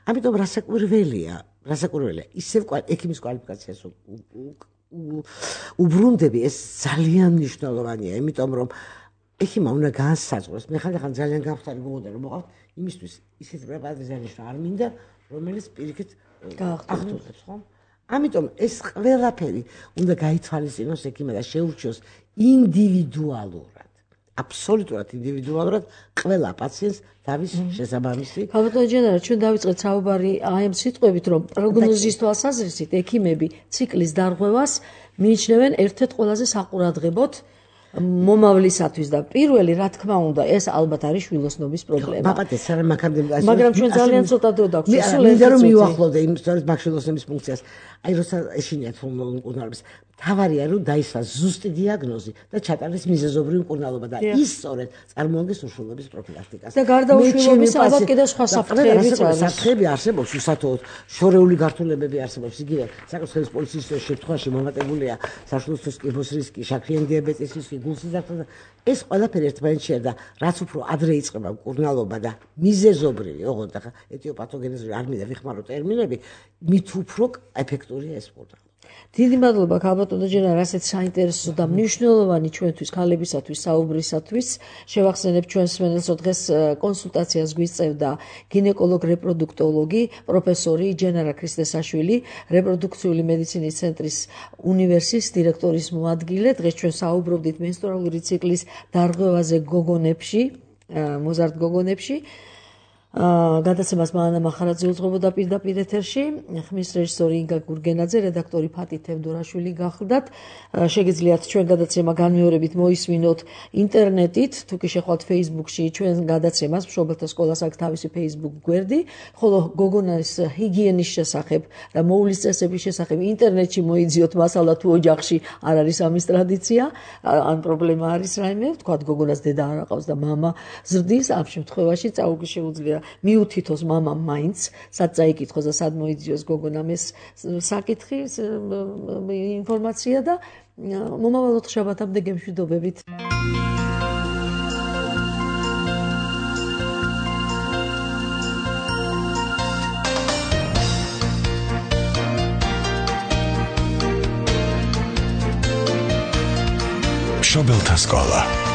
ამიტომ რასაკვირველია, ისევ ექიმის კვალიფიკაციას უბრუნდები, ეს ძალიან მნიშვნელოვანია, იმიტომ რომ ექიმა უნდა განსაზღვროს, მე ხანდახან ძალიან გამხდარი გმოვდა რომ მოყავთ იმისთვის ისეთი პრეპარატის დანიშნა არ მინდა, რომელიც პირიქით ახდენებს, ხო? ამიტომ ეს ყველაფერი უნდა გაითვალისწინოს ექიმმა და შეურჩიოს ინდივიდუალურად, აბსოლუტურად ინდივიდუალურად ყველა პაციენტს თავის შესაბამისი. ბატონო ჯენერალ, ჩვენ დავიწყეთ საუბარი აი ამ სიტყვებით, რომ პროგნოზის თვალსაზრისით ექიმები ციკლის დარღვევას მიიჩნევენ ერთ-ერთ ყველაზე საყურადღებოდ მომავლისათვის და პირველი, რა თქმა უნდა, ეს ალბათ არის შვილოსნობის პრობლემა. მაპატეს არა მაგამდე, მაგრამ ჩვენ ძალიან ცოტა დრო დაგვჭირს. მინდა რომ მიუახლოვდე იმ სწორედ მაგშვილოსნობის ფუნქციას. აი როცა ეშინიათ ჰორმონულებს, თავარია რომ დაისვა ზუსტი დიაგნოზი და ჩატარდეს მიზეზობრივი მკურნალობა და ის სწორედ წარმოადგენს უშვილობის პროფილაქტიკას. და გარდა უშვილობის ალბათ კიდევ სხვა საფრთხეებიც არის. საფრთხეები არსებობს უსათოოდ, შორეული გართულებები არსებობს. იგივე საკუთრების პოლიციის შემთხვევაში მომატებულია საშვილოსნოს კიბოს რისკი, შაქრიანი დიაბეტის რისკი, გულსიზარდე და ეს ყველაფერი ერთმანეთშია და რაც უფრო ადრე იწყება მკურნალობა და მიზეზობრივი, ოღონდ ახლა ეტიოპათოგენეზური არ მინდა ვიხმარო ტერმინები, მით უფრო ეფექტურია ეს მკურნალობა. დიდი მადლობა ქალბატონო ჯენერალ, ასეთ საინტერესო და მნიშვნელოვანი ჩვენთვის ქალებისათვის საუბრისათვის. შევახსენებთ ჩვენს მსმენელს, რომ დღეს კონსულტაციას გვიწევდა გინეკოლოგ რეპროდუქტოლოგი პროფესორი ჯენარა ქრისტესაშვილი, რეპროდუქციული მედიცინის ცენტრის უნივერსის დირექტორის მოადგილე. დღეს ჩვენ საუბრობდით მენსტრუალური ციკლის დარღვევაზე გოგონებში, მოზარდ გოგონებში. გადაცემას მანა მახარაძე უძღვებოდა პირდაპირ ეთერში, ხმის რეჟისორი ინგა გურგენაძე, რედაქტორი ფატი თევდორაშვილი გახლდათ. შეგიძლიათ ჩვენ გადაცემა განმეორებით მოისმინოთ ინტერნეტით, თუ კი შეხვალთ Facebook-ში ჩვენ გადაცემას, მშობელთა სკოლას აქვს თავისი Facebook გვერდი, ხოლო გოგონას ჰიგიენის შესახებ და მოვლის წესების შესახებ ინტერნეტში მოიძიოთ მასალა, თუ ოჯახში არ არის ამის ტრადიცია, ან პრობლემა არის რაიმე, თქვათ გოგონას დედა არ აყავს და მამა ზრდის, ამ შემთხვევაში წაუგე შეუძლია მიუთითოს მამამ მაინც, სად წაიკითხოს და სად მოიძიოს გოგონამ ეს საკითხი, ინფორმაცია და მომავალ ოთხშაბათამდე გემშვიდობებით. მშობელთა სკოლა.